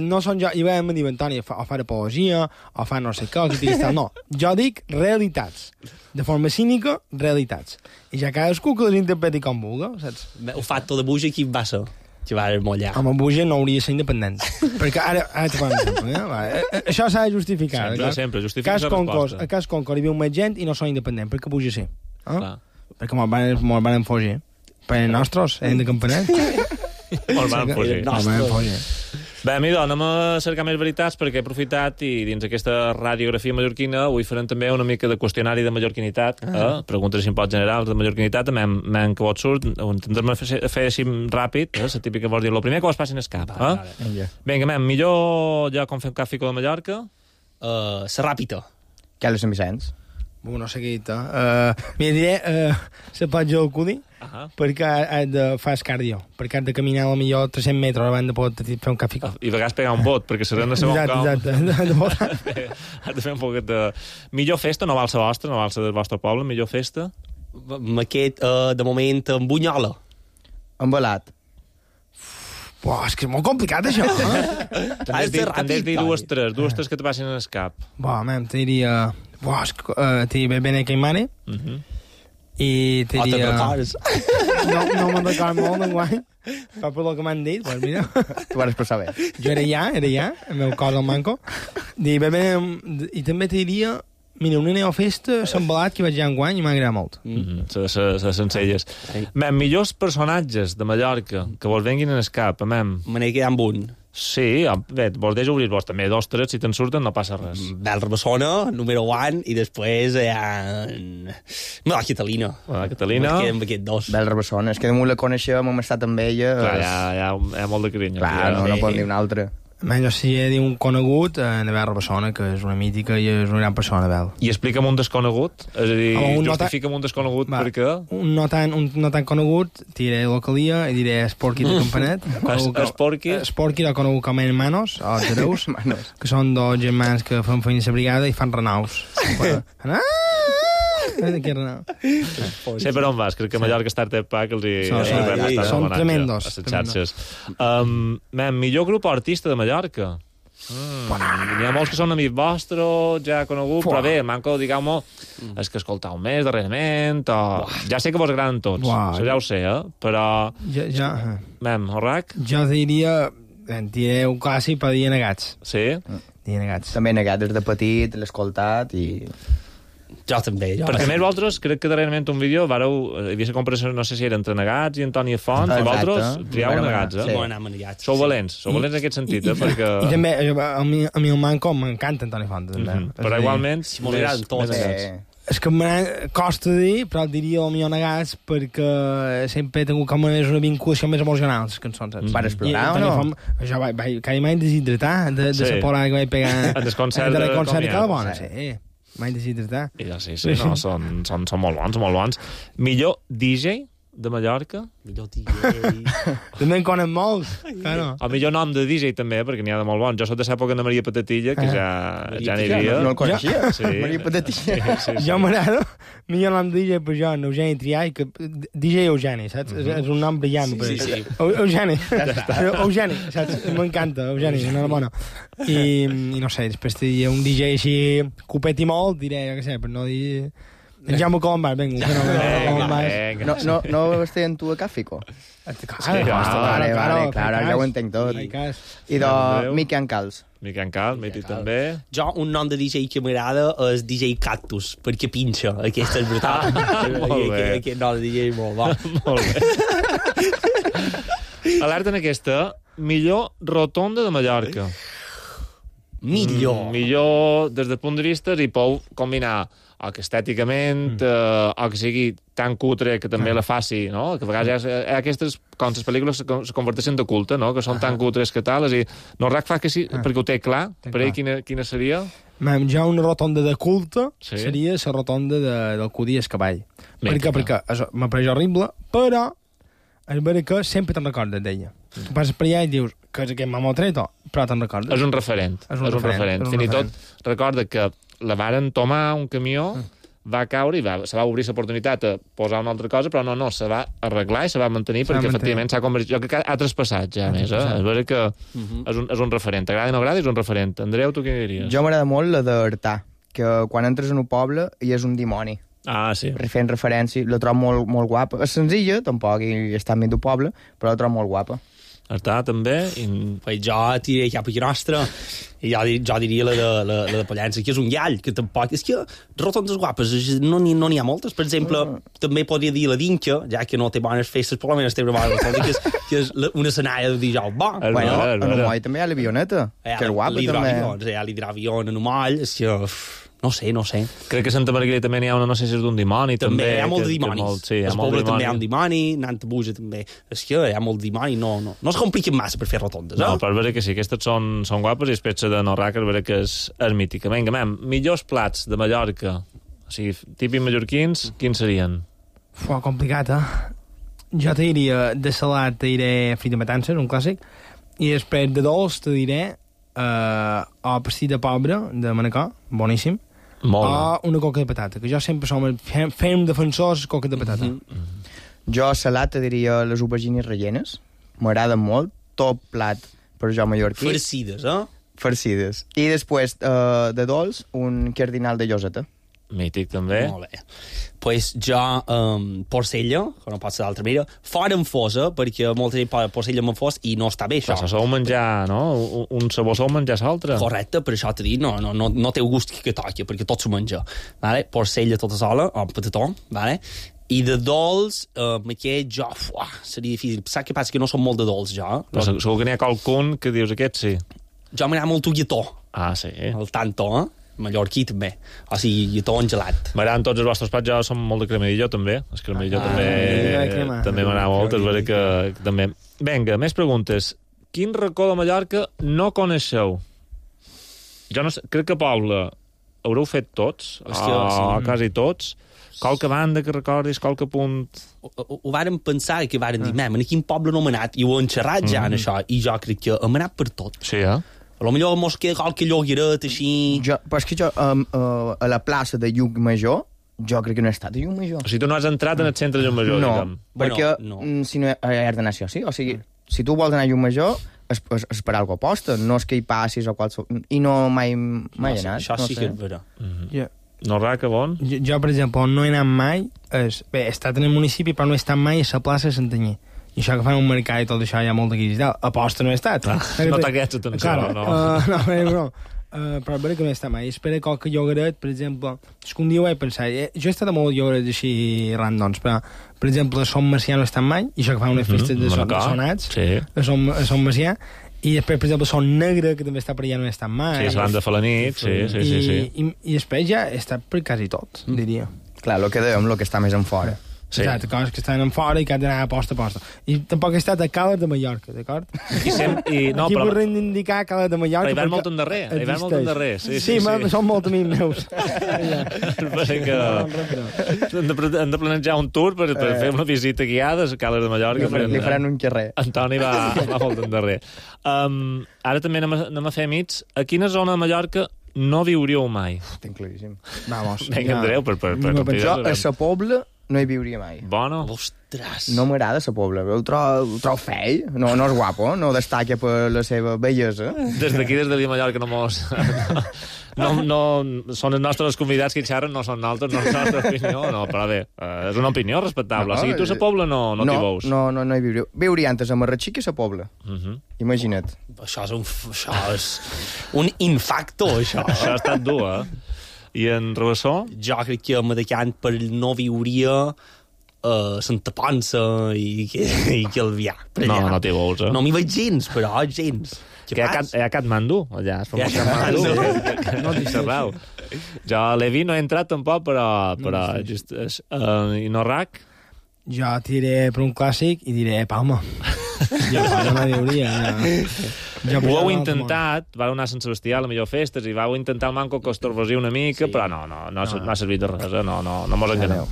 Speaker 16: No són jo, i vam dir, Antoni, o fa apologia, o fa no sé què, no. Jo dic realitats. De forma cínica, realitats. I ja cadascú que les interpreti com vulgui, saps?
Speaker 17: El factor de buja, qui va ser? Que va mollar.
Speaker 16: Home, buja no hauria de ser independent. Perquè ara te fan exemple. Això s'ha de justificar.
Speaker 5: Sempre, justifica la resposta.
Speaker 16: A cas Concord hi viu més gent i no són independents. Per què buja ser? Perquè me'l van fugir. Per els nostres, de campanet.
Speaker 5: Me'l van fugir. Bé, amigo, anem a cercar més veritats perquè he aprofitat i dins aquesta radiografia mallorquina avui farem també una mica de qüestionari de mallorquinitat, preguntes si em pot generar de mallorquinitat, men que vos surt, ho intentarem fer així ràpid, la típica vols dir, el primer que vos passin és cap. Vinga, millor ja com fem Càfico de Mallorca?
Speaker 17: La ràpida.
Speaker 18: Què és Sant Vicenç?
Speaker 16: No sé què dir-te. Mira, diré la Patge del Cudi, perquè fas cardio, perquè has de caminar a millor 300 metres abans de poder fer un cafè.
Speaker 5: I a vegades pegar un bot, perquè serà una segona cau.
Speaker 16: Exacte.
Speaker 5: Has de fer un poquet de... Millor festa, no val la vostra, no val la del vostre poble, millor festa?
Speaker 17: Aquest, de moment, amb Bunyola.
Speaker 18: Embalat.
Speaker 16: És que és molt complicat, això.
Speaker 5: També has dit dues tres que te passin en el cap.
Speaker 16: Te diria... T'hi ve bene que mare. I t'hi diria... No me'n record molt d'enguany. Però per el que m'han dit, doncs mira...
Speaker 18: Tu vas per saber.
Speaker 16: Jo era ja, el meu cos al manco. I també t'hi diria... Mira, una neofesta, s'embalat, que vaig ja enguany i m'ha agradat molt.
Speaker 5: Les sencelles. Millors personatges de Mallorca que vos venguin en el cap,
Speaker 17: Me n'he quedat amb un.
Speaker 5: Sí, bé, vos deixo obrir-vos també 2, 3, si te'n surten no passa res.
Speaker 17: Bel Rabassona, número 1, i després hi ha... La Catalina.
Speaker 5: La Catalina.
Speaker 17: Amb aquest 2.
Speaker 18: Bel Rabassona, és que damunt la coneixem, hem estat amb ella...
Speaker 5: Clar, hi ha molt de carinyo.
Speaker 18: Clar, no pot dir una altra.
Speaker 16: Jo sí he dit un conegut, Bel Rabassona, que és una mítica i és una gran persona, Bel.
Speaker 5: I explica'm un desconegut, és a dir, justifica'm un desconegut, perquè...
Speaker 16: Un no tan conegut, diré localia i diré Esporqui de Campanet. Esporqui l'ha conegut com a hermanos, o hereus, que són 2 germans que fan feina a la brigada i fan renaus.
Speaker 5: Sé per on vas, crec que Mallorca Startup Pack
Speaker 16: són tremendos
Speaker 5: a les xarxes. Millor grup artista de Mallorca. N'hi ha molts que són amics vostres, ja conegut, però bé, manco, digueu-me, és que escoltau més darrerament, ja sé que vos agraden tots, això ja ho sé, però... Horrac?
Speaker 16: Jo diria un clàssic per dir Negats.
Speaker 5: Sí?
Speaker 16: Dir Negats.
Speaker 18: També Negats des de petit, l'he escoltat i...
Speaker 17: Jo també.
Speaker 5: Perquè més vosaltres, crec que darrerament un vídeo hi havia la comparació, no sé si era entre Negats i Antoni Font, i vosaltres triau Negats,
Speaker 17: Sí.
Speaker 5: Sou valents en aquest sentit, perquè...
Speaker 16: I també, a mi el manco m'encanta Antoni Font, també.
Speaker 5: Però igualment,
Speaker 17: m'agraden tots.
Speaker 16: És que costa dir, però diria el millor Negats perquè sempre he tingut com una vinculació més emocional a les cançons.
Speaker 18: Per explorar o no?
Speaker 16: Jo cada mai deshidratar de la porada que vaig pegar
Speaker 5: en el concert
Speaker 16: de Calabona, sí. Mai deshidratar.
Speaker 5: Sí, no, són molt bons. Millor DJ de Mallorca?
Speaker 17: Millor DJ...
Speaker 16: També en conec molts, claro.
Speaker 5: El millor nom de DJ també, perquè n'hi ha de molt bons. Jo soc de l'època de Maria Patatilla, que ja n'hi havia.
Speaker 18: No el coneixia? Maria Patatilla.
Speaker 16: Jo m'agrado, millor nom de DJ per jo, Eugeni Triay, que DJ Eugeni, saps? És un nom brillant.
Speaker 17: Sí.
Speaker 16: Eugeni. Eugeni, saps? M'encanta, Eugeni, enhorabona. I no sé, després diria un DJ així copet i molt, diré, jo què sé, per no dir... Jaume Colombàs, vinga.
Speaker 18: No estic en tu a Càfico?
Speaker 16: Claro,
Speaker 18: ja ho entenc tot. I de Miqui Ancals.
Speaker 5: Miqui Ancals, mític també.
Speaker 17: Jo, un nom de DJ que m'agrada és DJ Cactus, perquè pinxa. Aquesta és brutal.
Speaker 5: Molt bé.
Speaker 17: Aquest nom de DJ és molt bo.
Speaker 5: Molt bé. Alerta en aquesta, millor rotonda de Mallorca. Millor des del punt de vista i pou combinar o que estèticament o que sigui tan cutre que també la faci, no? Que a vegades aquestes, com les pel·lícules se converteixen de culte, no? Que són tan cutres que tal, i Norrac fa que sí, perquè ho té clar, per ell quina seria?
Speaker 16: Ja una rotonda de culte seria la rotonda del Codí Cavall. Perquè m'apareix horrible, però és vera que sempre te'n recordes d'ella. Tu passes per allà i dius que és aquest mamotreto, però te'n recordes.
Speaker 5: És un referent. Fins i tot recorda que la varen tomar un camió, va caure i se va obrir l'oportunitat a posar una altra cosa, però no, se va arreglar i se va mantenir perquè efectivament s'ha convertit... Jo crec que ha traspassat ja més, És vera que és un referent. T'agrada o no agrada, és un referent. Andreu, tu què diries?
Speaker 18: Jo m'agrada molt la d'Artà, que quan entres en un poble hi és un dimoni.
Speaker 5: Ah, sí.
Speaker 18: Fent referència, la trobo molt, molt guapa. És senzilla, tampoc hi està enmig d'un poble, però la trobo molt guapa.
Speaker 5: Artà, també?
Speaker 17: Jo tiré cap aquí nostra, i jo diria la de Pollença, que és un llall, que tampoc... És que rotondes guapes no n'hi ha moltes. Per exemple, també podria dir la d'Inca, ja que no té bones festes, però almenys té una bona rotonda, que és una escenària de dijous bo.
Speaker 18: Bueno, en Umoll també hi ha l'avioneta, que és guapa, també.
Speaker 17: Hi ha l'hidravió en Umoll, és que... No sé.
Speaker 5: Crec que a Santa Margarida també n'hi ha una, no sé si és d'un dimoni, també.
Speaker 17: Hi ha molt de dimonis. El poble també hi ha un dimoni, Nanta Buja també. És que hi ha molt de dimoni, no es compliquen massa per fer rotondes,
Speaker 5: No, però és vera que sí, aquestes són guapes i després de Norrac és vera que és mítica. Vinga, millors plats de Mallorca, o sigui, típics mallorquins, quins serien?
Speaker 16: Complicat, Jo te diria de salat, te diré frita matances, un clàssic, i després de dolç te diré o pastit de pobre de Manacor, boníssim, o una coca de patata, que jo sempre fem defensors coca de patata.
Speaker 18: Jo salat te diria les aubergines rellenes, m'agraden molt, tot plat per jo mallorquí. Farcides. I després de dolç, un cardinal de lloseta.
Speaker 5: Mític, també.
Speaker 17: Molt bé. Pues jo, porcella, que no pot ser d'altra manera, fora en fosa, perquè molta gent posa porcella amb fos i no està bé, això.
Speaker 5: Però sou menjar, no? Un sabor sou menjar l'altre.
Speaker 17: Correcte, per això t'he dit, no té gust que toqui, perquè tot s'ho menja. Vale? Porcella tota sola, o amb patató, vale? I de dolç, aquest jo... seria difícil. Saps què passa? Que no som molt de dolç, jo.
Speaker 5: Segur que n'hi ha qualcun que dius aquest sí.
Speaker 17: Jo m'agrada molt el lletó.
Speaker 5: Ah, sí.
Speaker 17: El tanto, mallorquí també. O sigui, lletó en gelat.
Speaker 5: M'agraden tots els vostres plats, jo som molt de cremadillo també. El cremadillo també m'agrada molt, és vera que també. Vinga, més preguntes. Quin racó de Mallorca no coneixeu? Jo no sé, crec que Paula haureu fet tots, quasi tots. Qualque banda que recordis, qualque punt...
Speaker 17: Ho vàrem pensar que vàrem dir, en quin poble no hem anat, i ho hem xerrat ja en això, i jo crec que hem anat per tot.
Speaker 5: Sí,
Speaker 17: Potser mos queda qualque llogueret així...
Speaker 18: Però és que jo, a la plaça de Llucmajor, jo crec que no he estat a Llucmajor.
Speaker 5: O sigui, tu no has entrat en el centre de Llucmajor, diguem.
Speaker 18: Perquè si no has d'anar sí o sí. O sigui, si tu vols anar a Llucmajor, és per algo posta, no és que hi passis o qualsevol... I no mai he anat.
Speaker 17: Això sí que és vera.
Speaker 5: No, Raca, bon?
Speaker 16: Jo, per exemple, no he anat mai... Bé, he estat en el municipi, però no he estat mai a la plaça de Santanyí. I això que fan un mercat i tot això hi ha molta guirisitat. Aposta no he estat.
Speaker 5: No t'aquests atenció, no.
Speaker 16: Però és vera que no he estat mai. Espera qualque llogaret, per exemple... És que un dia ho he pensat. Jo he estat a molts llogarets així randoms, però, per exemple, a Som Macià no he estat mai, i això que fan unes festes de sonats, a Som Macià, i després, per exemple, Son Negre, que també està per allà, no he estat mai.
Speaker 5: Sí, és banda fa la nit, sí.
Speaker 16: I després ja he estat per quasi tot, diria.
Speaker 18: Clar, el que dèiem, el que està més en fora.
Speaker 16: Sí. Exacte, coses que estan en fora i que han d'anar a posta. I tampoc he estat a Cales de Mallorca, d'acord?
Speaker 5: Aquí
Speaker 16: vull reivindicar Cales de Mallorca.
Speaker 5: Però hi van molt endarrer. Sí.
Speaker 16: Són molt amics meus.
Speaker 5: Han de planejar un tour per fer una visita guiada a Cales de Mallorca.
Speaker 18: Li faran un carrer.
Speaker 5: Antoni va molt endarrer. Ara també anem a fer amics. A quina zona de Mallorca no viuríeu mai?
Speaker 18: Tinc claríssim.
Speaker 16: Vamos.
Speaker 5: Vinga, Andreu, per
Speaker 18: jo a sa Pobla no hi viuria mai.
Speaker 5: Bona.
Speaker 17: Ostres.
Speaker 18: No m'agrada sa Pobla. El trobo fei. No és guapo. No destaca per la seva bellesa.
Speaker 5: Des d'aquí, des de Mallorca, no mos... No, són els nostres convidats que xerren, no són nosaltres, no és la nostra opinió, no, però bé, és una opinió respectable. O sigui, tu a sa Pobla no t'hi veus.
Speaker 18: No hi viuria. Viuria antes a Marratxí que a sa Pobla. Imagina't.
Speaker 17: Això és un infacto, això.
Speaker 5: Això ha estat dur, I en Rabassó?
Speaker 17: Jo crec que me decant per no viuria Santa Ponsa i Calvià.
Speaker 5: No t'hi veus,
Speaker 17: No m'hi veig gens, però gens.
Speaker 5: Que hi ha Katmandú, allà. Jo a Levi no he entrat tampoc, però i no RAC?
Speaker 16: Jo tiré per un clàssic i diré Palma. Jo no diuria.
Speaker 5: Ho heu intentat, vau anar a Sant Sebastià a la millor festes i vau intentar el manco que us torbosia una mica, però no ha servit de res, no mos enganeu.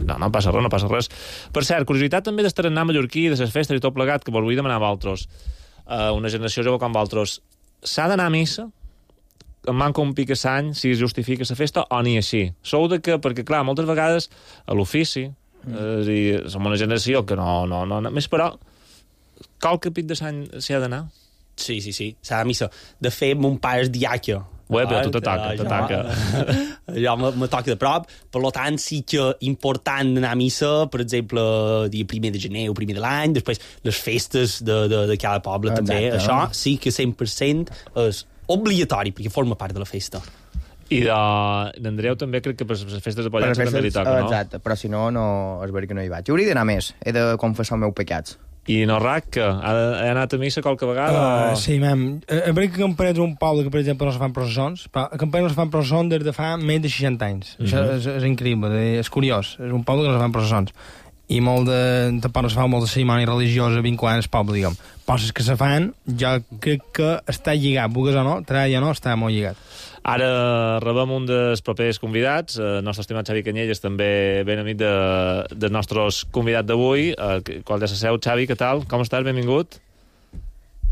Speaker 5: No passa res. Per cert, curiositat també d'estar-anar mallorquí, de les festes i tot plegat, que vos vull demanar a vosaltres, una generació jove com vosaltres, s'ha d'anar a missa? Em manca un pic a l'any si es justifica la festa o ni així? Sou de que, perquè clar, moltes vegades a l'ofici, som una generació que no més, però qualque pic de l'any s'hi ha d'anar?
Speaker 17: Sí, s'ha de missa. De fet, mon pare és diaca.
Speaker 5: Però tu t'ataca.
Speaker 17: Jo me toca de prop, per tant sí que important anar a missa, per exemple, dia 1 de gener o 1 de l'any, després les festes de cada poble també. Això sí que 100% és obligatori, perquè forma part de la festa.
Speaker 5: I d'Andreu també crec que per les festes de Pollença també li toca, no?
Speaker 18: Exacte, però si no és veritat que no hi vaig. Hauria d'anar més, he de confessar els meus pecats.
Speaker 5: I no RAC, que ha anat a missa qualque vegada?
Speaker 16: Sí, és veritat que Campanet és un poble que, per exemple, no se fan processons, però a Campanet no se fan processons des de fa més de 60 anys. Això és increïble, és curiós. És un poble que no se fan processons. I tampoc no se fa molta cerimònia religiosa vinculant al poble, diguem. Coses que se fan, jo crec que està lligat, vulguis o no, està molt lligat.
Speaker 5: Ara rebem un dels propers convidats, el nostre estimat Xavi Canyelles, també ben amic dels nostres convidats d'avui. Qual de la seu, Xavi, què tal? Com estàs? Benvingut.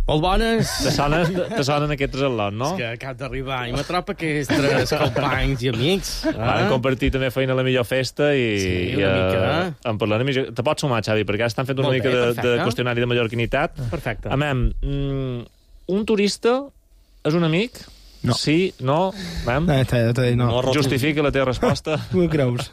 Speaker 20: Molt bones.
Speaker 5: Te sonen aquests al·lots, no?
Speaker 20: És que acab d'arribar i m'atropa aquests companys i amics.
Speaker 5: Han compartit també feina a la millor festa i
Speaker 20: una mica.
Speaker 5: En parlarem. Te pots sumar, Xavi, perquè estan fent una mica de qüestionari de mallorquinitat.
Speaker 20: Perfecte.
Speaker 5: Un turista és un amic?
Speaker 16: No.
Speaker 5: Sí, no?
Speaker 16: No.
Speaker 5: Justifica la teva resposta.
Speaker 16: Ho creus?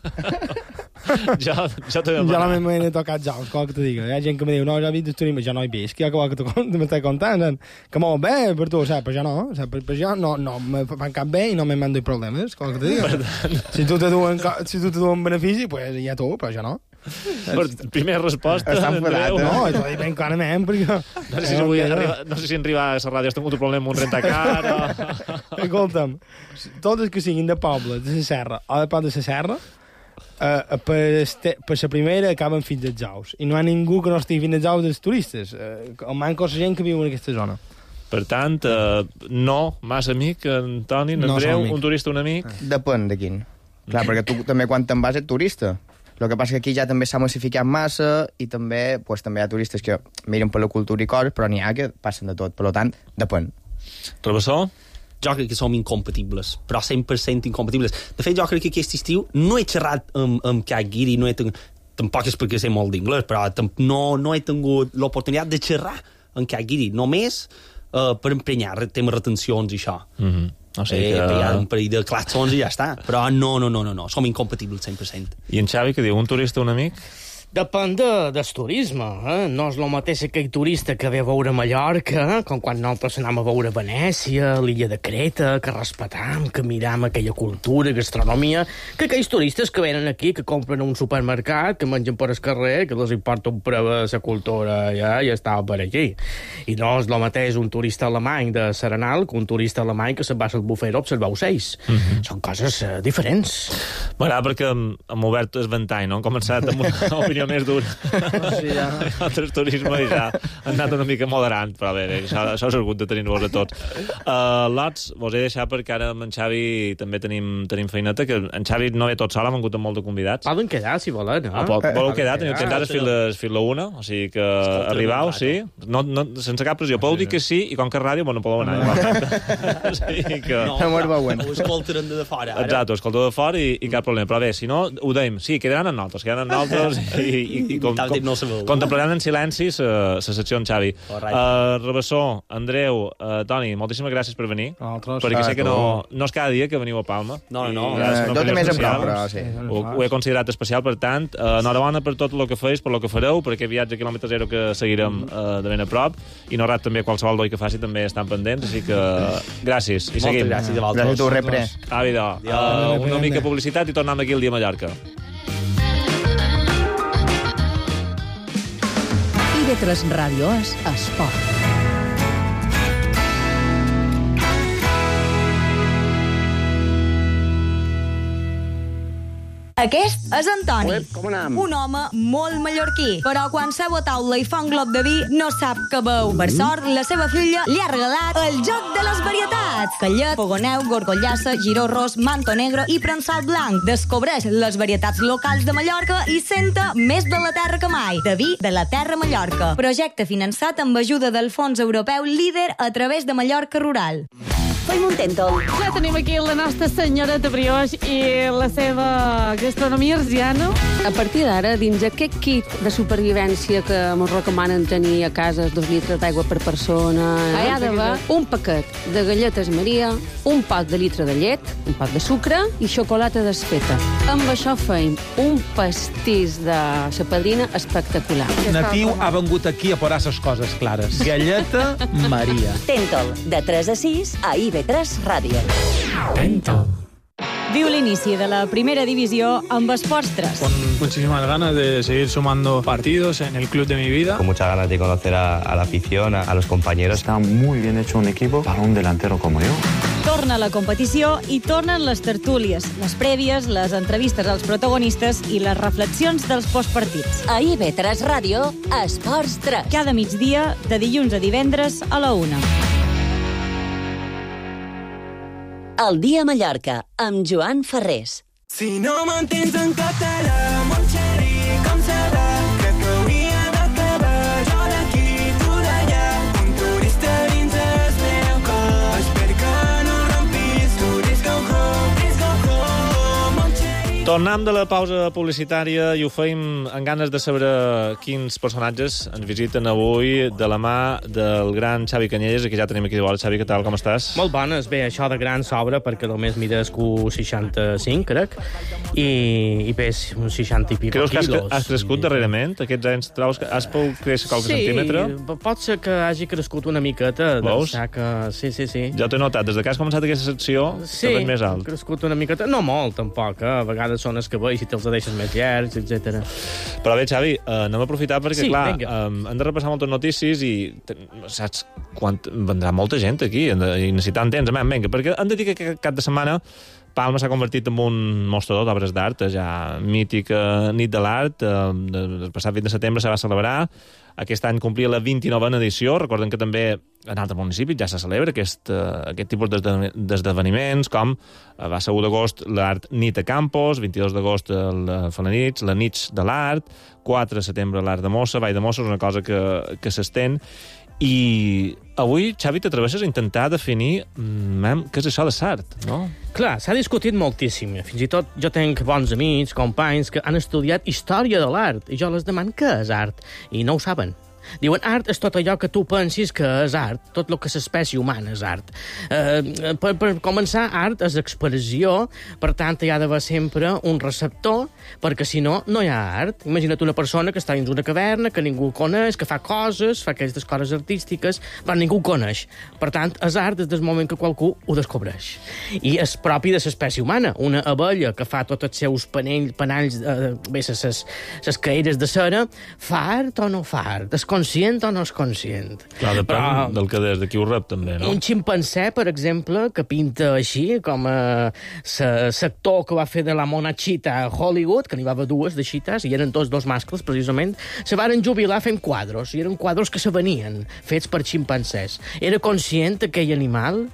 Speaker 5: Jo també
Speaker 16: Jo no m'he tocat jocs, com que te diga. Hi ha gent que me diu, no, jo he vist el turisme, jo no he vist, que m'estàs contant, que molt bé per tu, saps? Però jo no, saps? Per jo no me fan cap bé i no me mando problemes, com que te diga. Si tu te duen benefici, pues ja tu, però jo no.
Speaker 5: Primera resposta.
Speaker 16: Està enfadat, no? T'ho dic ben clarament, perquè...
Speaker 5: No sé si en arribar a la ràdio has tingut un problema amb un rentacar o...
Speaker 16: Escolta'm, tots els que siguin de poble, de la serra o de Pont de la Serra, per la primera acaben fins als ous. I no hi ha ningú que no estigui fins als ous dels turistes. Manca la gent que viu en aquesta zona.
Speaker 5: Per tant, no, massa amic, Antoni, en Andreu, un turista, un amic...
Speaker 18: Depèn de quin. Clar, perquè tu també quan te'n vas ets turista. El que passa que aquí ja també s'ha massificat massa i també, pues, també hi ha turistes que miren per la cultura i coses, però n'hi ha que passen de tot. Per tant, depèn.
Speaker 5: Travessó?
Speaker 17: Jo crec que som incompatibles, però 100% incompatibles. De fet, jo crec que aquest estiu no he xerrat amb Cat Guiri, tampoc és perquè sé molt d'inglès, però no he tingut l'oportunitat de xerrar amb Cat Guiri, només per emprenyar temes retencions i això.
Speaker 5: O sigui que...
Speaker 17: Hi ha un parell de classons i ja està. Però no, som incompatibles 100%.
Speaker 5: I en Xavi, que diu, un turista, un amic?
Speaker 20: Depèn del turisme, No és el mateix aquell turista que ve a veure Mallorca, com quan nosaltres anem a veure Venècia, l'illa de Creta, que respetam, que miram aquella cultura, gastronomia, que aquells turistes que venen aquí, que compren a un supermercat, que mengen per el carrer, que els importa un preu de la cultura, ja està per aquí. I no és el mateix un turista alemany de Serenal que un turista alemany que se'n va al bufet a observar ocells. Són coses diferents.
Speaker 5: M'agrada perquè hem obert el ventall, no? Hem començat amb una opinió més dura.
Speaker 16: Sí, ja.
Speaker 5: Altres turisme i ja han anat una mica moderant, però bé, això s'ha hagut de tenir-vos a tots. Lots, vos he deixat perquè ara amb en Xavi també tenim feineta, que en Xavi no ve tot sol, hem hagut molt de convidats.
Speaker 20: Poden quedar, si volen, no?
Speaker 5: Voleu quedar? Teniu temps ara fins la una, o sigui que arribau, sí. No, sense cap pressió. Podeu dir que sí, i com que és ràdio, no podeu anar. O sigui que...
Speaker 17: No, ho escoltaran de fora.
Speaker 5: Exacte, ho escolteu de fora i cap problema. Però bé, si no, ho deim. Sí, quedaran en nosaltres i contemplaran en silenci la secció en Xavi. Rabassó, Andreu, Toni, moltíssimes gràcies per venir, perquè sé que no és cada dia que veniu a Palma.
Speaker 17: No.
Speaker 18: Jo també és en prou, però sí.
Speaker 5: Ho he considerat especial, per tant, enhorabona per tot el que feis, per el que fareu, per aquest viatge a quilòmetre zero que seguirem de ben a prop, i no rat també qualsevol doi que faci també estan pendents, així que gràcies, i seguim.
Speaker 17: Moltes gràcies a vosaltres.
Speaker 18: Gràcies a tu, repre.
Speaker 5: Una mica publicitat i tornem aquí el dia a Mallorca.
Speaker 3: IB3 Ràdio és esport.
Speaker 21: Aquest és Antoni, un home molt mallorquí, però quan s'ha a taula i fa un glob de vi no sap què veu. Per sort, la seva filla li ha regalat el joc de les varietats. Callet, fogoneu, gorgollassa, giró ros, manto negre i prensal blanc. Descobreix les varietats locals de Mallorca i senta més de la terra que mai. De vi de la terra Mallorca. Projecte finançat amb ajuda del Fons Europeu Líder a través de Mallorca Rural.
Speaker 4: Fem un tèntol.
Speaker 2: Ja tenim aquí la nostra senyoreta Brioix i la seva gastronomia arsiana.
Speaker 22: A partir d'ara, dins aquest kit de supervivència que ens recomanen tenir a casa 2 litres d'aigua per persona, hi ha d'haver un paquet de galletes Maria, un pot de litre de llet, un pot de sucre i xocolata desfeta. Amb això feim un pastís de sa padrina espectacular.
Speaker 23: Natiu ha vengut aquí a posar les coses clares. Galleta Maria.
Speaker 4: Tèntol, de 3 a 6 a IB3 Ràdio.
Speaker 23: Tèntol.
Speaker 21: Viu l'inici de la primera divisió amb Esports 3.
Speaker 24: Con muchísimas ganas de seguir sumando partidos en el club de mi vida.
Speaker 25: Con muchas ganas de conocer a la afición, a los compañeros.
Speaker 26: Está muy bien hecho un equipo para un delantero como yo.
Speaker 21: Torna la competició i tornen les tertúlies, les prèvies, les entrevistes als protagonistes i les reflexions dels postpartits.
Speaker 4: A IB3 Ràdio, Esports 3.
Speaker 21: Cada migdia, de dilluns a divendres a la 1.
Speaker 4: El dia a Mallorca, amb Joan Ferrés.
Speaker 6: Si no m'entens en català, mon xeri, com serà? Crec que hauria d'acabar jo d'aquí, tu d'allà. Un turista dins el meu cos. Espero que no rompis, tu dis go home, mon xeri.
Speaker 5: Tornem de la pausa publicitària i ho feim amb ganes de saber quins personatges ens visiten avui de la mà del gran Xavi Canyelles, que ja tenim aquí de vora. Xavi, què tal, com estàs?
Speaker 20: Molt bones. Bé, això de gran s'obre perquè només mides 65, crec, i pes uns 60 i pico
Speaker 5: Creus que
Speaker 20: quilos.
Speaker 5: has crescut darrerament? Aquests anys trobes que has pogut créixer qualque centímetre?
Speaker 20: Sí, pot ser que hagi crescut una miqueta.
Speaker 5: Veus?
Speaker 20: Sí.
Speaker 5: Ja t'he notat, des que has començat aquesta secció, te veig més alt.
Speaker 20: Sí, crescut una miqueta. No molt, tampoc, A vegades són els cabells i te'ls deixes més llargs, etc.
Speaker 5: Però bé, Xavi, anem a aprofitar perquè,
Speaker 20: Sí,
Speaker 5: clar,
Speaker 20: vinga.
Speaker 5: hem de repassar moltes notícies i saps quan vendrà molta gent aquí i necessitant temps. Vinga, perquè hem de dir que aquest cap de setmana Palma s'ha convertit en un mostrador d'obres d'art, ja mítica nit de l'art. El passat 20 de setembre se va celebrar. Aquest any complia la 29a edició. Recorden que també en altres municipis ja se celebra aquest tipus d'esdeveniments, com va ser 1 d'agost l'Art Nit a Campos, 22 d'agost el Falanits, la Nits de l'Art, 4 de setembre l'Art de Mossa, Vall de Mossa, és una cosa que s'estén. I avui, Xavi, t'atreveixes a intentar definir què és això de l'art, no?
Speaker 20: Clar, s'ha discutit moltíssim. Fins i tot jo tenc bons amics, companys, que han estudiat història de l'art, i jo les demano què és art, i no ho saben. Diuen, art és tot allò que tu pensis que és art, tot el que l'espècie humana és art. Per començar, art és expressió, per tant, hi ha d'haver sempre un receptor, perquè si no, no hi ha art. Imagina't una persona que està dins una caverna, que ningú coneix, que fa coses, fa aquestes coses artístiques, però ningú coneix. Per tant, és art des del moment que qualcú ho descobreix. I és propi de l'espècie humana. Una abella que fa tots els seus panalls, les caeres de cera, fa art o no fa art? És conscient o no és conscient?
Speaker 5: Clar, depèn del que des de qui ho rep, també, no?
Speaker 20: Un ximpanzé, per exemple, que pinta així, com l'actor que va fer de la Monachita a Hollywood, que n'hi va haver dues de xites, i eren tots dos mascles, precisament, se varen jubilar fent quadros, i eren quadros que se venien, fets per ximpanzés. Era conscient aquell animal?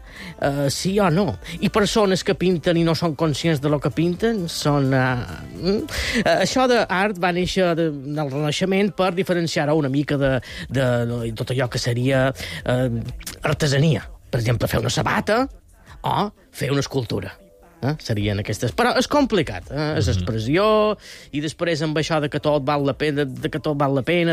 Speaker 20: Sí o no? I persones que pinten i no són conscients de lo que pinten són... Això d'art va néixer del Renaixement per diferenciar-ho una mica de tot allò que seria artesania. Per exemple, fer una sabata o fer una escultura. Serien aquestes. Però és complicat, és expressió, i després amb això de que tot val la pena,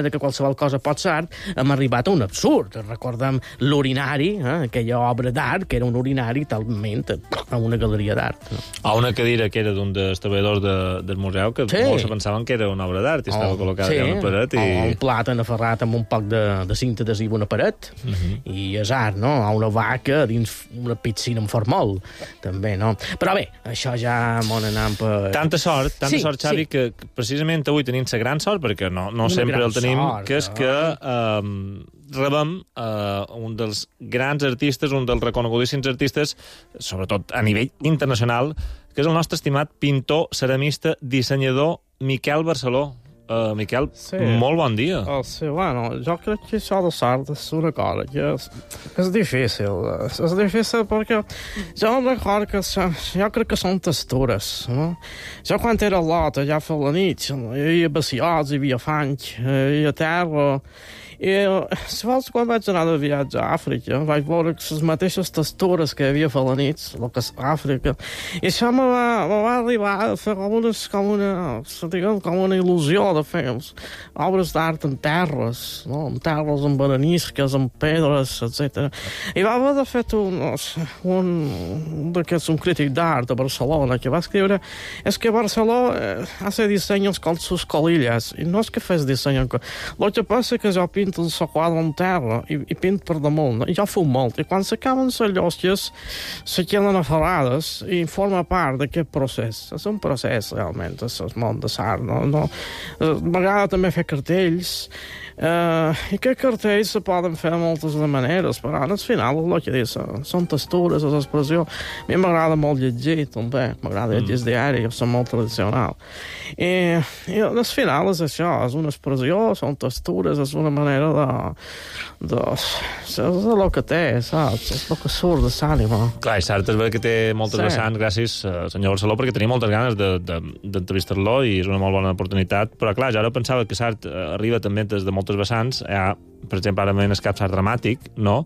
Speaker 20: de que qualsevol cosa pot ser art, hem arribat a un absurd. Recordem l'urinari, aquella obra d'art, que era un urinari talment a una galeria d'art.
Speaker 5: A una cadira que era d'un dels treballadors del museu, que molts pensaven que era una obra d'art i estava col·locada a una paret.
Speaker 20: O un plàtan aferrat amb un poc de cinta adhesiva a una paret, i és art, no? O una vaca dins una piscina amb formol, també, no? Però bé, això ja m'ho anant per...
Speaker 5: Tanta sort, Xavi, que precisament avui tenim la gran sort, perquè no sempre el tenim, que és que rebem un dels grans artistes, un dels reconegudíssims artistes, sobretot a nivell internacional, que és el nostre estimat pintor, ceramista, dissenyador Miquel Barceló. Miquel, molt bon dia.
Speaker 1: Sí, bueno, jo crec que això de l'art és una cosa que és difícil. És difícil perquè jo em recordo que jo crec que són textures. No? Jo quan era a Lot, allà a la nit, hi havia bassiots, hi havia fang, hi havia terra. I si vols, quan vaig anar de viatge a Àfrica, vaig veure les mateixes textures que hi havia a la nit, el que és Àfrica, i això me va arribar a fer com una il·lusió de fer obres d'art en terres, no? En terres, en baranisques, en pedres, etc. I va haver de fer un crític d'art a Barcelona que va escriure és que Barcelona hace diseños con sus colillas, i no és que fes disseny lo que passa que jo pinto el quadre en terra i pinto per damunt, i jo fumo molt, i quan s'acaben les llosques se queden aferrades i forma part d'aquest procés. És un procés realment, és el món de l'art, no? M'agrada també fer cartells, i que cartells se poden fer de moltes maneres, però al final el que dius són textures, és expressió. A mi m'agrada molt llegir, també, m'agrada llegir el diari, jo soc molt tradicional. I al final és això, és una expressió, són textures, és una manera és el que té, saps? És el que surt de l'ànima.
Speaker 5: Clar, és cert, és veritat que té moltes vessants, gràcies, senyor Barceló, perquè tenia moltes ganes d'entrevistar-lo i és una molt bona oportunitat, però clar, jo ara pensava que Sart arriba també des de moltes vessants, hi ha per exemple, ara m'he escapat art dramàtic, no?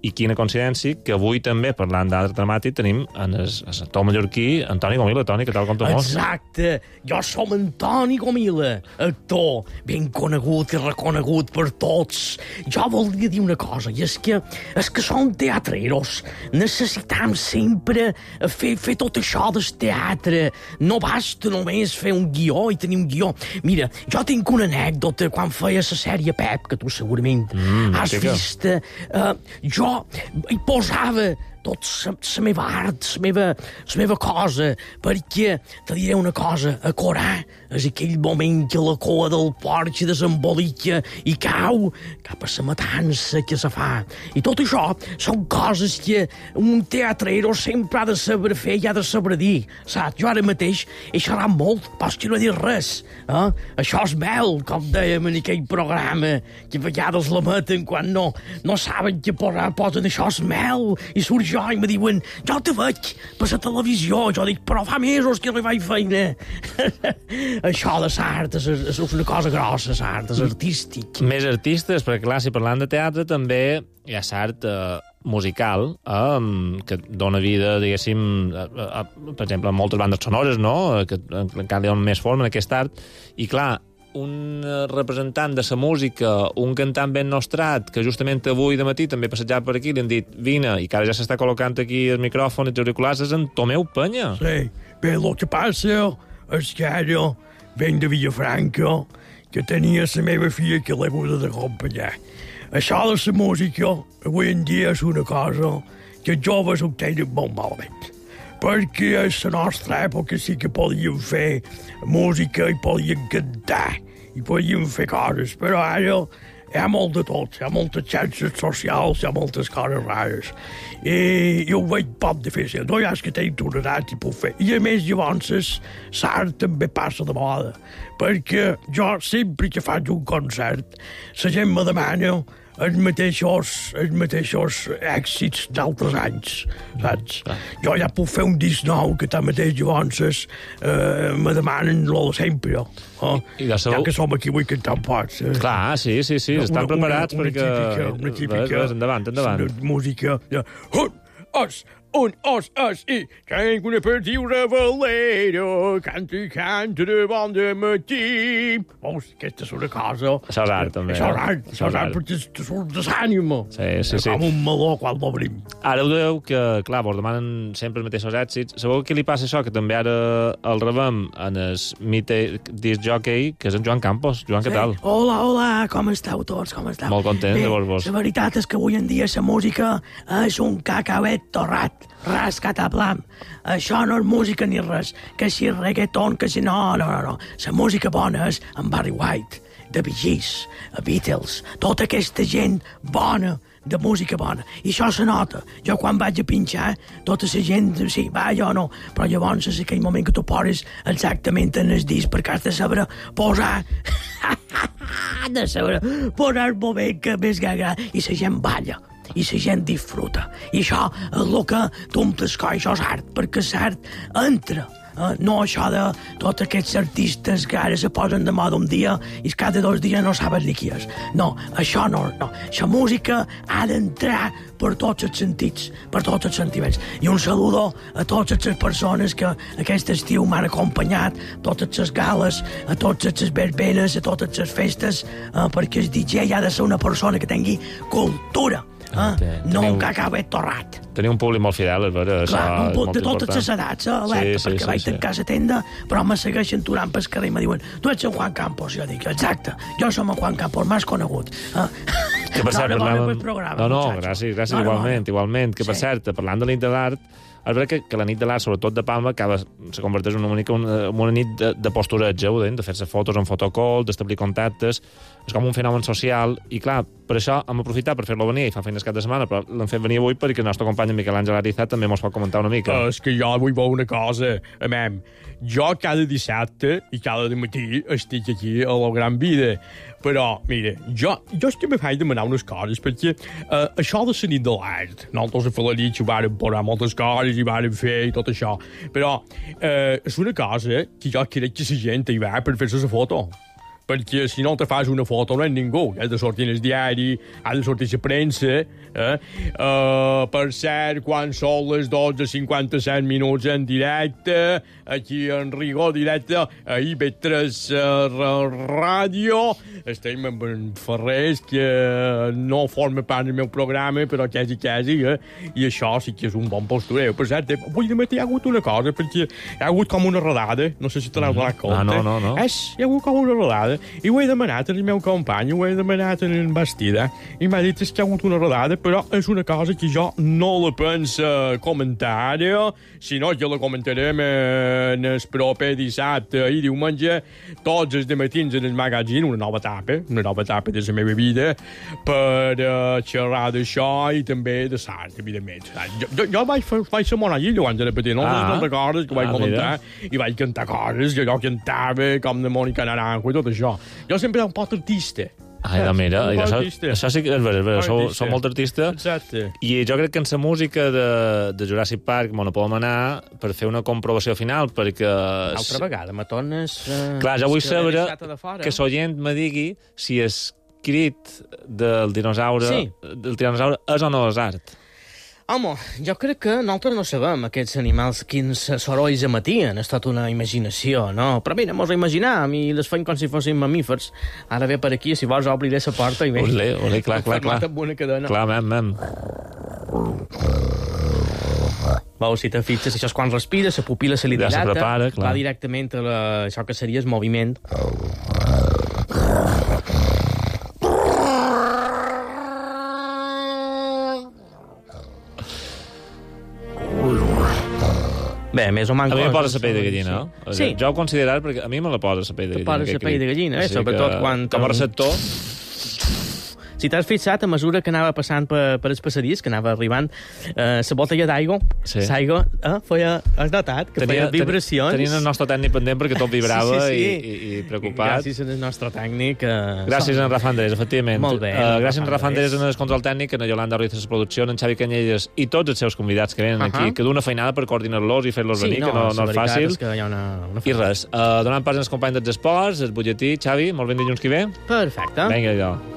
Speaker 5: I quina coincidència que avui també, parlant d'art dramàtic, tenim el actor mallorquí Antoni Gomila. Toni, què tal, com te mos?
Speaker 20: Exacte, jo som Antoni Gomila, actor ben conegut i reconegut per tots. Jo volia dir una cosa, i és que som teatreros. Necessitam sempre fer tot això del teatre. No basta només fer un guió i tenir un guió. Mira, jo tinc una anècdota quan feia la sèrie Pep, que tu segurament has vist. Jo hi posava tot la meva art, la meva cosa, perquè te diré una cosa, a Corà és aquell moment que la cua del porc desembolica i cau cap a la matança que se fa. I tot això són coses que un teatrero sempre ha de saber fer i ha de saber dir, saps? Jo ara mateix he xerrat molt, però és que no he dit res. Això és mel, com dèiem en aquell programa, que a vegades la meten quan no saben que posen això és mel, i surt jo i me diuen, jo te veig per la televisió. Jo dic, però fa mesos que no hi vaig feina. Això de l'art és una cosa grossa, l'art és artístic.
Speaker 5: Més artistes, perquè clar, si parlant de teatre també hi ha l'art musical que dona vida, diguéssim, per exemple, a moltes bandes sonores, no? Que encara li donen més forma en aquest art. I clar, un representant de la música, un cantant ben nostrat, que justament avui de matí també passejava per aquí, li han dit, vine, i que ara ja s'està col·locant aquí el micròfon i els auriculars, és en Tomeu Penya.
Speaker 7: Sí, bé, el que passa és que ara venc de Villafranca, que tenia la meva filla que l'he hagut d'acompanyar. Això de la música, avui en dia, és una cosa que els joves ho tenen molt malament. Perquè a la nostra època sí que podíem fer música i podíem cantar i podíem fer coses, però ara hi ha molt de tot, hi ha moltes xarxes socials, hi ha moltes coses rares. I jo ho veig poc difícil, no hi ha que tenir una edat i puc fer. I a més, llavors, l'art també passa de moda, perquè jo sempre que faig un concert, la gent me demana els mateixos èxits d'altres anys, saps? Jo ja puc fer un disc nou que tanmateix llavors me demanen lo de sempre. Ja que som aquí vull cantar un pot.
Speaker 5: Clar, sí, estan preparats perquè...
Speaker 7: Una típica...
Speaker 5: Endavant.
Speaker 7: Una música... Un os i tenc una partiura valera, canta de bon de matí. Aquesta és una cosa...
Speaker 5: Això és art, també.
Speaker 7: Això és art, perquè te surt de l'ànima.
Speaker 5: Sí.
Speaker 7: Com un meló quan l'obrim.
Speaker 5: Ara ho deu que, clar, vos demanen sempre els mateixos èxits. Sabeu què li passa això? Que també ara el rebem en el mite disc jockey, que és en Joan Campos. Joan, què tal?
Speaker 8: Hola, com esteu tots? Com esteu?
Speaker 5: Molt content de vos.
Speaker 8: La veritat és que avui en dia la música és un cacauet torrat. Rascat a blam. Això no és música ni res. Que si reggaeton, que si no. La música bona és en Barry White, The Bee Gees, Beatles, tota aquesta gent bona, de música bona. I això se nota. Jo quan vaig a pinxar, tota la gent, sí, va, jo no, però llavors és aquell moment que tu poses exactament en el disc perquè has de saber posar posar el moment que més agrada i la gent balla. I la gent disfruta. I això és el que tu em t'escoll, això és art, perquè l'art entra. No això de tots aquests artistes que ara se posen de moda un dia i cada 2 dies no saben ni qui és. No, això no. La música ha d'entrar per tots els sentits, per tots els sentiments. I un saludo a totes les persones que aquest estiu m'han acompanyat, totes les gales, a totes les verbenes, a totes les festes, perquè el DJ ha de ser una persona que tingui cultura. No un cacauet torrat.
Speaker 5: Tenia un públic molt fidel, és vera.
Speaker 8: Clar, de totes les edats, alerta, perquè vaig tancar la tenda, però me segueixen turant pel carrer i me diuen, tu ets en Juan Campos. Jo dic, exacte, jo som en Juan Campos, m'has conegut.
Speaker 5: Que per cert, gràcies, igualment. Que per cert, parlant de la nit de l'art, és veritat que la nit de l'art, sobretot de Palma, se converteix en una nit de postureig, de fer-se fotos en fotocall, d'establir contactes, és com un fenomen social, i clar, per això hem aprofitat per fer-lo venir i fa feines cap de setmana, però l'hem fet venir avui perquè el nostre company Miquel Àngel Arizat també mos pot comentar una mica.
Speaker 7: És que jo vull veure una cosa, jo cada dissabte i cada matí estic aquí a la Gran Vida, però, mira, jo és que me faig demanar unes coses, perquè això de la nit de l'art, nosaltres a Falanich ho vàrem posar moltes coses i vàrem fer i tot això, però és una cosa que jo crec que la gent hi va per fer-se la foto. perquè si no te fas una foto no és ningú. Has de sortir en el diari, has de sortir a la premsa. Per cert, quan són les 12:57 minuts en directe, aquí en rigor directe, a IB3 Ràdio, estem amb en Ferrés, que no forma part del meu programa, però quasi, i això sí que és un bon postureu. Per cert, avui de matí hi ha hagut una cosa, perquè hi ha hagut com una rodada, no sé si te n'has donat compte.
Speaker 5: No.
Speaker 7: Hi ha hagut com una rodada, i ho he demanat al meu company, ho he demanat en Bastida, i m'ha dit que hi ha hagut una rodada, però és una cosa que jo no la penso comentar, sinó que la comentarem en el proper dissabte i diumenge, tots els dematins en el magazine, una nova etapa de la meva vida, per xerrar d'això i també de l'art, evidentment. Jo vaig fer la monaguillo abans de petit, no recordes que vaig comentar, i vaig cantar coses que jo cantava, com de Mònica Naranjo i tot això. Jo sempre era un poc artista.
Speaker 5: Mira, això sí que és vera, som molt artista.
Speaker 7: Exacte.
Speaker 5: I jo crec que en la música de Jurassic Park no podem anar per fer una comprovació final, perquè...
Speaker 20: Altra vegada, me tornes...
Speaker 5: Clar, jo vull saber que l'oient me digui si el crit del dinosaure és o no és art.
Speaker 20: Home, jo crec que nosaltres no sabem aquests animals quins sorolls emetien. És tota una imaginació, no? Però mira, mos ho imaginam i les fem com si fossin mamífers. Ara ve per aquí, si vols obriré la porta i ve.
Speaker 5: Olé, clar.
Speaker 20: Amb una cadena.
Speaker 5: Clar, mem.
Speaker 20: Veus, si te fixes, això és quan respira, la pupil·la se li dilata,
Speaker 5: se prepara,
Speaker 20: va directament a això que seria el moviment. Bé, més o menys...
Speaker 5: A mi me posa la pell de gallina, no?
Speaker 20: Sí.
Speaker 5: Jo ho considerat perquè a mi me la posa la pell de gallina.
Speaker 20: Te posa la pell de gallina, sobretot quan...
Speaker 5: Com a receptor...
Speaker 20: Si t'has fixat, a mesura que anava passant per els passadís, que anava arribant, la botella d'aigua, has notat que feia vibracions.
Speaker 5: Tenien el nostre tècnic pendent perquè tot vibrava i preocupat.
Speaker 20: Gràcies al nostre tècnic.
Speaker 5: Gràcies a en Rafa Andrés, efectivament.
Speaker 20: Molt bé.
Speaker 5: Gràcies a en Rafa Andrés en el control tècnic, a en Yolanda Ruiz a la producció, en Xavi Canyelles i tots els seus convidats que venen aquí, que d'una feinada per coordinar-los i fer-los venir, que no és fàcil. I res, donant pas als companys dels esports, el butlletí, Xavi, molt ben dilluns que ve.
Speaker 20: Perfecte.
Speaker 5: Vinga, allò.